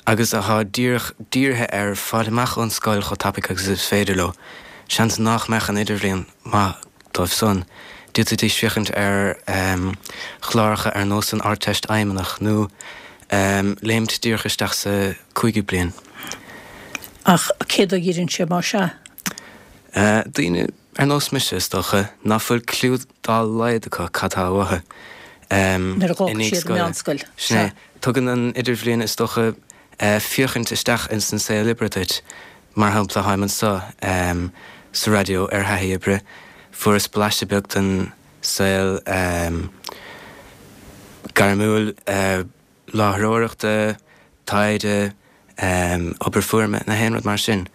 agus atá díreach dírithe ar fáil amach ón scoil chomh tapaidh agus is féidir leo, seans nách mbeadh an idirbhliain maith dóibh san. D'fhéadfaidís féachaint ar chláracha ar nós an Ardteist Fheidhmeannach nó léimt díreach isteach sa cúigiú bliain. Ach cé dó a oireann sé más ea? Daoine ar nós mise, is dócha, ná fuil cliú dá laghad acu cad tá uathu Nuair a i dh'fhágfaidh ndiaidh siad an scoile. mheánscoil. Sin é. Sea. Tugann an idirbhliain, is dócha, féachaint isteach ins an saol oibre duit. Mar shampla, táim anso sa raidió ar thaithí oibre, fuaireas blaiseadh beag den saol gairmiúil láithreoireachta, taighde, obair fuaime, na haon rud mar sin.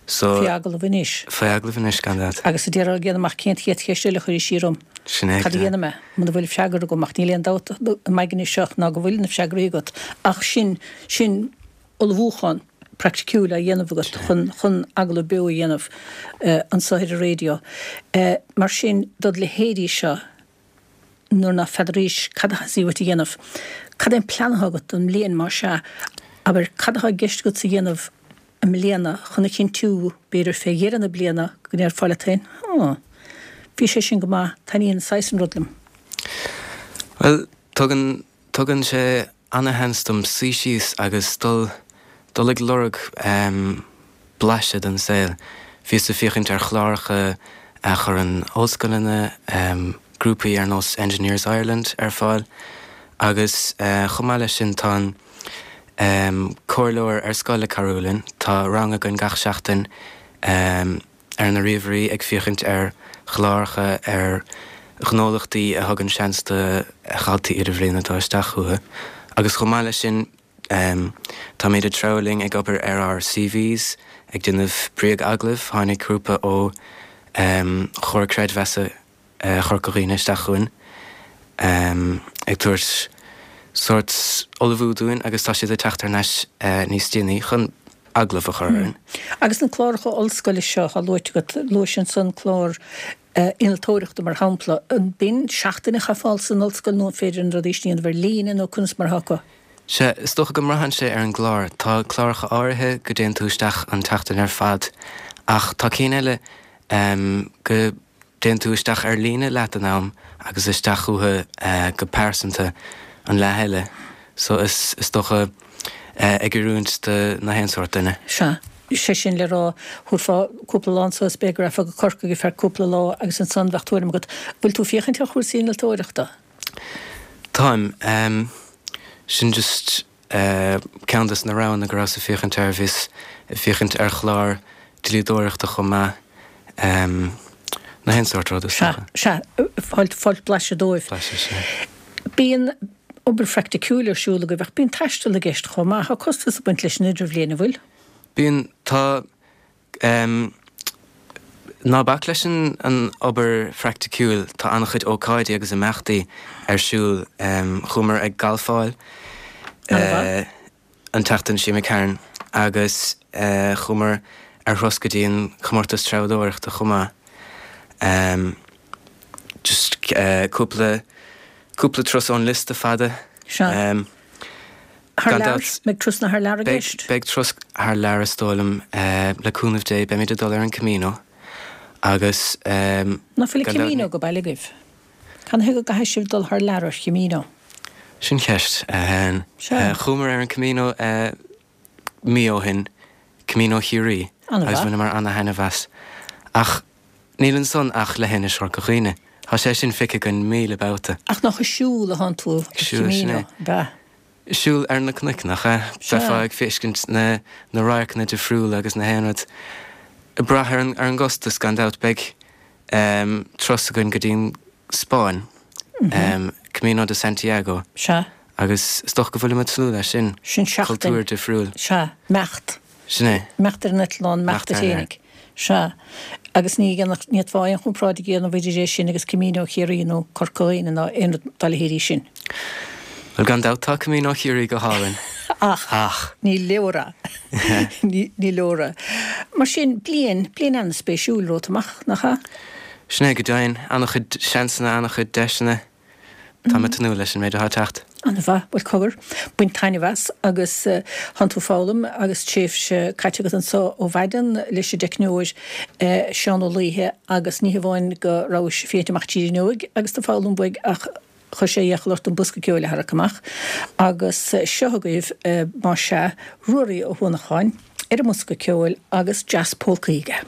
So. Faoi agallamh anois. Faoi agallamh anois, gan dabht. Agus a déarfá ag déanamh amach cén chéad cheist eile a chuirfidh sí orm. Sin é. Cad a dhéanfaidh mé muna bhfuil freagra agam, ach níl aon dabht i m'aigne seo ná go bhfuil na freagraí agat, ach sin, sin ullmhúchán praiticiúil á dhéanamh agat chun, chun agallamh beo a dhéanamh anso ar an raidió. Mar sin, dod leithéidí seo, nuair ná feadaraís cad a theastaigh uait a dhéanamh. Cad é an plean atá agat don mbliain, más ea? Abair, cad atá i gceist agatsa a dhéanamh i mbliana chun a chinntiú, b'fhéidir fé dheireadh na bliana, go ndéarfá leat féin, 'Á, bhí sé sin go maith, taitníonn an saghas sin rud liom'? Bhuel, tugann, tugann sé ana-sheans dom suí síos agus dul, dul ag lorg blaiseadh den saol. Bhíos ag féachaint ar chláracha a chuireann ollscoileanna, grúpaí ar nós Engineers Ireland ar fáil agus chomh maith leis sin tá an comhairleoir ar scoil ag cabhrú linn. Tá rang againn gach seachtain ar na ríomhairí ag féachaint ar chláracha, ar ghnólachtaí a thugann seans do dhaltaí idirbhliana dul isteach chucu agus chomh maith leis sin táimid ag treabhadh linn ag obair ar ár CVs, ag déanamh bréag-agallaimh. Tháinig grúpa ó Chomhar Creidmheasa Chorca Dhuibhne isteach chugainn ag tabhairt sórt ullmhú dúinn agus tá siad ag teacht thar n-ais níos déanaí chun agallamh a chur orainn. Agus na cláracha ollscoile seo atá luaite agat, luais ansan clár innealtóireachta mar shampla, an b'in seachtain a chaithfeá san ollscoil nó an féidir na rudaí sin a dhéanamh ar líne nó conas mar atá acu? Sea, is dócha go mbraitheann sé ar an gclár. Tá cláracha áirithe go dtéann tú isteach an tseachtain ar fad ach tá cinn eile go dtéann tú isteach ar líne leath den am agus isteach chucu go pearsanta an leath eile. So is is dócha ag oiriúint do na haon sórt duine. Sea. Sé sin le rá, thabharfá cúpla lá anso is b'fhéidir go rachfá go Corcaigh ar feadh cúpla lá agus ansan bheadh tuairim agat. Bhfuil tú féachaint ar chúrsaí innealtóireachta? Táim. Sin just ceann des na roghanna go rabhas ag féachaint air. Bhíos ag féachaint ar chlár dlíodóireachta chomh maith. Na haon sórt rud, is Sea, dócha. sea. Fáilt, fáilt blaiseadh dóibh. Blaiseadh, sea. Bíonn obair phraiticiúil ar siúl agaibh ach bíonn taisteal i gceist chomh maith. Tá costas ag baint leis an idirbhliain, an bhfuil? Bíonn, tá. Ná bac leis an obair phraiticiúil, tá an-chuid ócáidí agus imeachtaí ar siúl. Chuamar ag galfáil an tseachtain seo imigh tharainn agus chuamar ar thuras go dtí an comórtas treabhdóireachta chomh maith. Just cúpla, cúpla turas ón liosta fada. Sea. Thar Gan lear? dabht. Mbeidh turasanna thar lear i Beidh, gceist? beidh turas thar lear is dóigh liom. Le cúnamh Dé beimid ag dul ar an Camino agus Ná fuil an gan dabht Camino ní. go baile agaibh? Canathaobh go gcaithfidh sibh dul thar lear ar Chamino? Sin ceist. Sea. Chuamar ar an Camino mí ó shin, Camino Chiarraí, agus An-mhaith. bhaineamar ana-thaitneamh as. Ach níl ansan ach leithinis Chorca Dhuibhne. Tá sé sin feicthe againn míle babhta. Ach nach ag siúl atánn tú ar Ag siúl, sin Camino, é. ab ea? Siúl ar na cnoic, nach ea? Sea. Bheifeá ag feiscint na na radharcanna difriúla agus na haon rud. Ag brath ar an ar an gcostas, gan dabht. Beidh turas againn go dtí an Spáinn, Camino de Santiago. Sea. Agus is dócha go bhfuilim ag tnúth leis sin. Sin seachtain. Cultúr difriúil. Sea. Imeacht. Sin é. Imeacht ar an eitleán, imeacht Imeacht duit fhéinig. Sea. Agus ní dhéanfadh, ní fhéadfá aon chomparáid a dhéanamh idir é sin agus Camino Chiarraí nó Corca Dhuibhne ná aon rud dá leithéidí sin. Bhuel, gan dabht tá Camino Chiarraí go hálainn. Ach. Ach. Ní leor é. Ní leor é. Mar sin, bliain, bliain an-spéisiúil romhat amach, nach ea? Sin é go deimhin. An-chuid seansanna, an-chuid deiseanna. Táim ag tnúth leis an méid atá ag teacht. An-mhaith. Bhuel, cogar, bain taitneamh as agus thánn tú ag foghlaim agus tréimhse caite agat anso ó mhaidin leis an dteicneoir Seán Ó Laoithe agus ní hamháin go rabhais ag féachaint amach tríd an fhuinneoig agus tú ag foghlaim uaidh ach chuir sé iachall ort an bosca ceoil a tharrac amach agus seo agaibh, más ea, Ruairí Ó hUanacháin ar an mbosca ceoil agus Jazz Polcaí aige.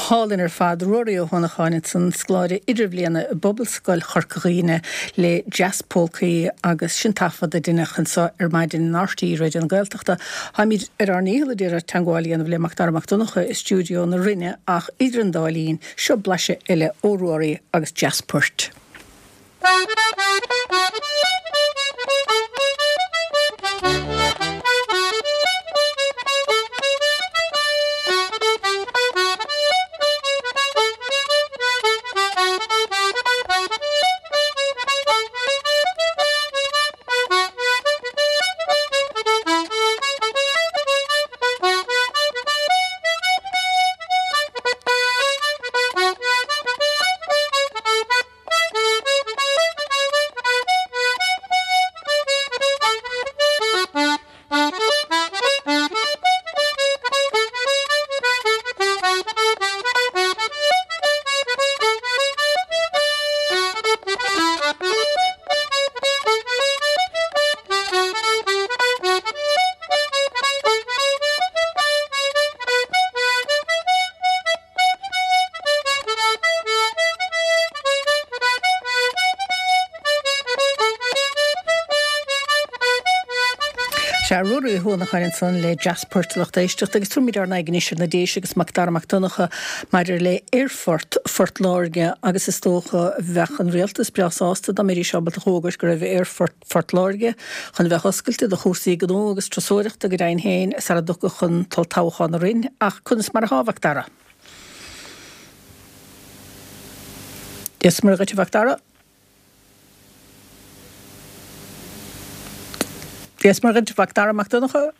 hálainn ar fad, Ruairí Ó hUanacháin ansan, scoláire idirbhliana i bPobalscoil Chorca Dhuibhne le Jazzpolcaí agus sin taifead a deineadh anseo ar maidin in RTÉ Raidió na Gaeltachta. Táimid ar ár ndícheall a d'iarraidh teagmháil a dhéanamh le Macdara Mac Donncha i stiúideo na Rinne ach idir an dá linn, seo blaiseadh eile ó Ruairí agus Jazzpoirt. Sea, Ruairí Ó hUanacháin ansan le Jazzport a lucht éisteachta agus tabharfaimid ár n-aghaidh anois ar na Déise agus Macdara Mac Donncha maidir le Aerfort Phort Láirge agus is dócha bheadh an rialtas breá sásta dá mbeidís ábalta a fhógairt go raibh Aerfort Phort Láirge chun a bheith oscailte do chúrsaí gnó agus turasóireachta go deimhin féin sara dtiocfadh an t-olltoghchán orainn ach conas mar atá a Mhacdara? Dia is Muire dhuit a Mhacdara. Dia is Muire dhuit, Macdara Mac Donncha.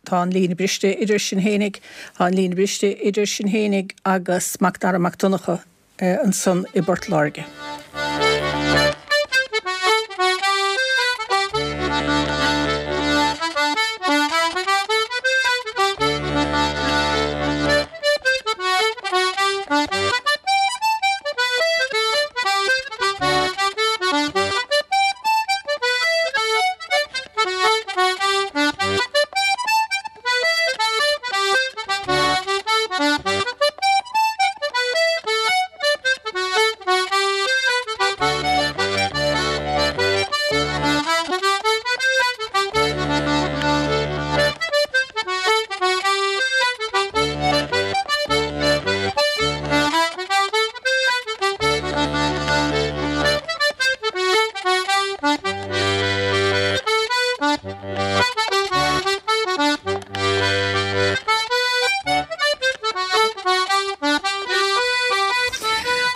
Tá an líne briste idir sinn fhéinig, tá an líne briste idir sinn fhéinig agus Macdara Mac Donncha ansan i bPort Láirge.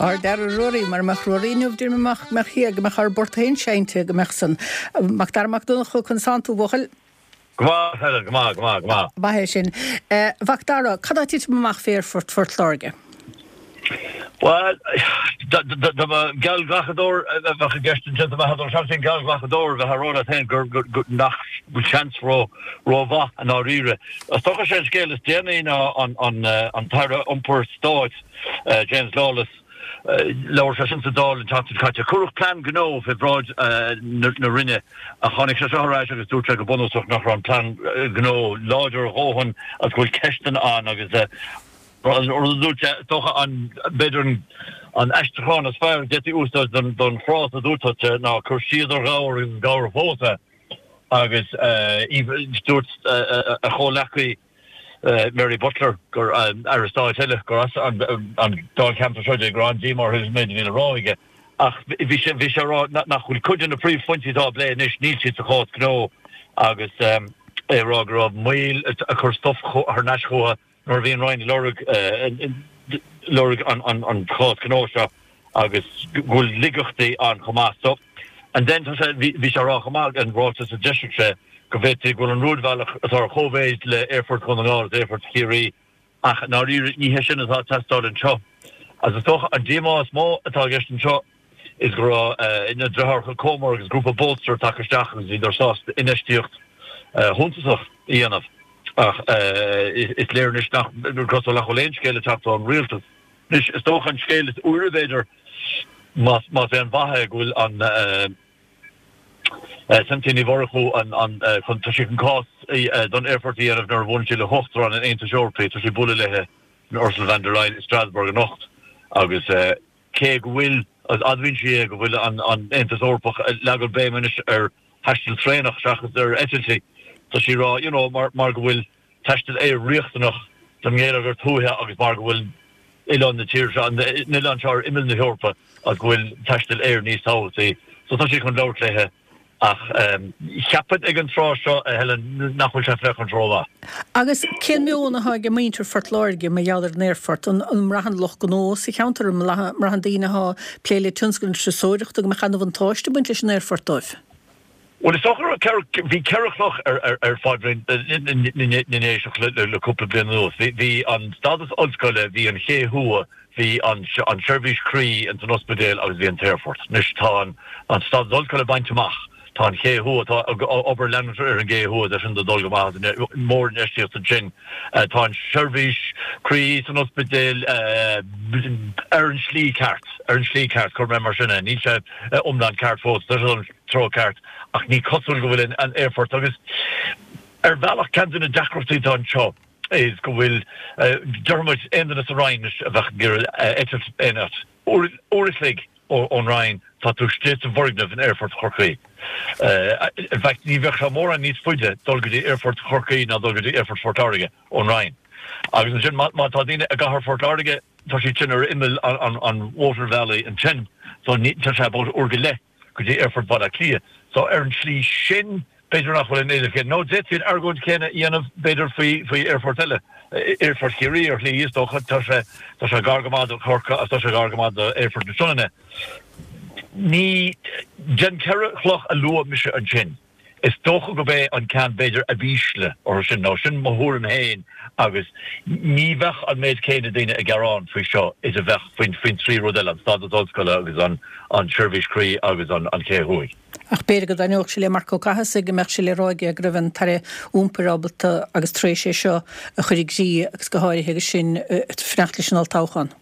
Ár dara Ruairí, mura mbeadh Ruairí inniu, deir mé amach go mbeadh thiar, go mbeadh ár bport féin seinnte, go mbeadh san. Macdara Mac Donncha, conas tánn tú, a bhuachaill? Go maith, Helen, go maith, go maith, go maith. Maith é sin. A Mhacdara, cad tá ag titim amach fé Aerfort Phort Láirge? Bhuel, dá mba geallghlacadóir a bheadh i gceist ansin, dá mbeadh seans ag geallghlacadóir a bheith ag rá leat féin gur nach bhfuil seans rómhaith i ndáiríre. Is dócha sé an scéal is déanaí ná an tAire Iompair Stáit, James Lawless, labhair sé sin sa Dáil an tseachtain seo caite. Cuireadh plean gnó fé bhráid na Roinne ach tháinig sé seo ar ais agus dúirt sé go bunúsach nach raibh an plean gnó láidir a dhóthain agus go bhfuil ceisteanna ann agus An rud a dúirt sé, is dócha an, b'fhéidir an aistriúchán is fearr a d'fhéadfaí úsáid don don fhrása a dúirt sé ná cur siad ar ghabhar agus is gabhar fós é. Agus dúirt a chomhleacaí Mary Butler gur Aire Stáit eile gur as an dáilcheantar seo di go raibh an-díomá uirthi an méid a bhí le rá aige. Ach bhí sé bhí sé ag rá nach bhfuil cuid de na príomhphointí atá á bplé anois, níl siad sa chás gnó agus é ag rá go raibh moill ag cur stuif thar n-ais chucu nuair a bhí an Roinn ag lorg lorg an chás gnó seo agus go bhfuil laigeachtaí ann chomh maith. So, and then tá sé, bhí sé ag rá chomh maith, an ráiteas a d'eisigh sé, go bhféadfaí go bhfuil an rúidbhealach atá ar chóimhéid le Aerfort Dhún na nGall agus Aerfort Chiarraí ach i ndáiríre ní hé sin atá ag teastáil anseo. Agus is dócha an díomá is mó atá i gceist anseo is go raibh na deartháireacha Comer agus grúpa Bolster tagtha isteach agus bhíodar sásta infheistíocht shuntasach a dhéanamh ach is léir anois nach cosúil nach bhfuil aon scéal ag teacht ón rialtas. Anois is dócha an scéal is úire b'fhéidir más más aon mhaith é go bhfuil an Cynthia Ní Mhurchú an chun tá sí chun cás don aerfort a dhéanamh nuair a bhuaileann sí le hUachtarán an Aontais Eorpaigh tá sí ag bualadh léi Ursula von der Leyen i Strasbourg anocht agus cé go bhfuil, admhaíonn sí é, go bhfuil an Aontas Eorpach ag leagan béim anois ar thaisteal traenach seachas ar eitiltí, tá sí ag rá, you know, mar mar go bhfuil taisteal aeir riachtanach don ngeilleagar tuaithe agus mar go bhfuil oileán na tíre seo, an oileán seo ar imeall na hEorpa agus go bhfuil taisteal aeir níos tábhachtaí. So tá sí chun labhairt léithe. Ach cheapfainn ag an tráth seo, a Helen, nach bhfuil sé ag féachaint rómhaith. Agus cén meon atá ag muintir Phort Láirge mar gheall ar an aerfort? An mbraitheann lucht gnó sa cheantar, an mbraitheann daoine atá ag plé le tionscal na turasóireachta go mbeadh an-bhuntáiste ag baint leis an aerfort dóibh? Bhuel, is dócha go raibh, bhí ceithre chloch ar phaidrín na nDéiseach le cúpla bliain anuas. Bhí an stádas ollscoile, bhí an ché thuaidh, Bhí an tseirbhís croí ins an ospidéal agus bhí an t-aerfort. Anois tá an stádas ollscoile bainte amach, tá an ché thuaidh, tá obair leanúnach ar an gcé thuaidh, tá sin ag dul go maith, mórinfheistíocht ansin. Tá an tseirbhís croí san ospidéal ar an slí ceart, ar an slí ceart, cuirfidh mé mar sin é, níl sé iomlán ceart fós, tá sé an treo ceart ach ní cosúil go bhfuil an aerfort agus ar bhealach ceann de na deacrachtaí atá anseo, is go bhfuil, déarfaidh muid, aon duine sa Rinn anois a bheadh ag iarraidh eitilt aon áit, uair a chloig ón Rinn, tá tú istigh sa bhfoirgneamh in Aerfort Chorcaí. In fact, ní bheadh sé mórán níos faide dul go dtí Aerfort Chorcaí ná dul go dtí Aerfort Phort Láirge ón Rinn. Agus ansin, má tá daoine i gcathair Phort Láirge, tá siad sin ar imeall an mhótarbhealaigh ansin, so tá sé about uair go leith go dtí Aerfort Bhaile Átha Cliath. So ar an tslí sin, b'fhéidir nach bhfuil an éileamh céanna. Nó d'fhéadfaí an argóint chéanna a dhéanamh, b'fhéidir, faoi faoi aerfort eile, Aerfort Chiarraí ar shlí, is dócha. Tá sé tá sé gar go maith do Chorcaigh agus tá sé gar go maith d'Aerfort na Sionainne. Ní, den cheithre chloch a luaigh mise ansin, Is dócha gurb é an ceann b'fhéidir ab ísle orthu sin, nó sin mo thuairim féin agus ní bheadh an méid céanna daoine ag gearán faoi seo is a bheadh faoin faoin trí rud eile, an stádas ollscoile agus an an tseirbhís croí agus an an ché thuaidh. Ach b'fhéidir go dtaitneodh sé le Marc Ó Cathasaigh go mbeadh sé le rá aige go raibh an tAire Iompair ábalta agus tar éis é seo a chur i gcrích agus go háirithe agus sinn ag fanacht leis an olltoghchán.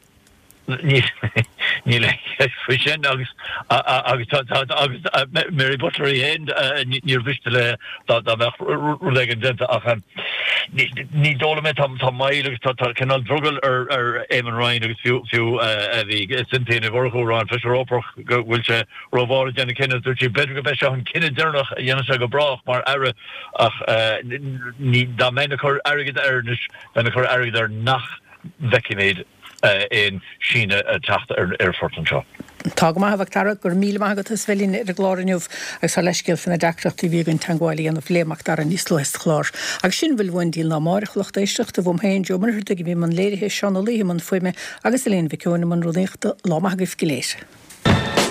Níl aon cheist faoi sin agus agus agus Mary Butler í féin níor mhiste léi dá mbeadh rud éigin déanta ach ní dóigh liom é tá moill agus tá cineál drogall ar ar Eamon Ryan agus fiú fiú bhí Cynthia Ní Mhurchú ag rá an Feisire Eorpach go bhfuil sé rómhall ag déanamh cinneadh dúirt sí b'fhéidir go mbeidh seo an cinneadh deireanach a dhéanann sé go brách mar aire ach ní dá mbeinn ag cur airgead air anois bheinn ag cur airgead air nach bhfeicfimid aon síneadh ag teacht ar an aerfort anseo. Tá go maith, a Mhac Dara, go raibh míle maith agat as bheith linn ar an gclár inniu agus ár leithscéal faoi na deacrachtaí a bhí againn teagmháil a dhéanamh le Mac Dara níos luaithe sa chlár. Agus sin a bhfuil uainn go dtí an lá amárach, a lucht éisteachta, uaim féin, Joe Ó Muircheartaigh, a bhí i mbun léirithe, Seán Ó Laoithe i mbun fuaime agus Elaine Mhic Eoin i mbun rúnaíochta. Lá maith agaibh go léir.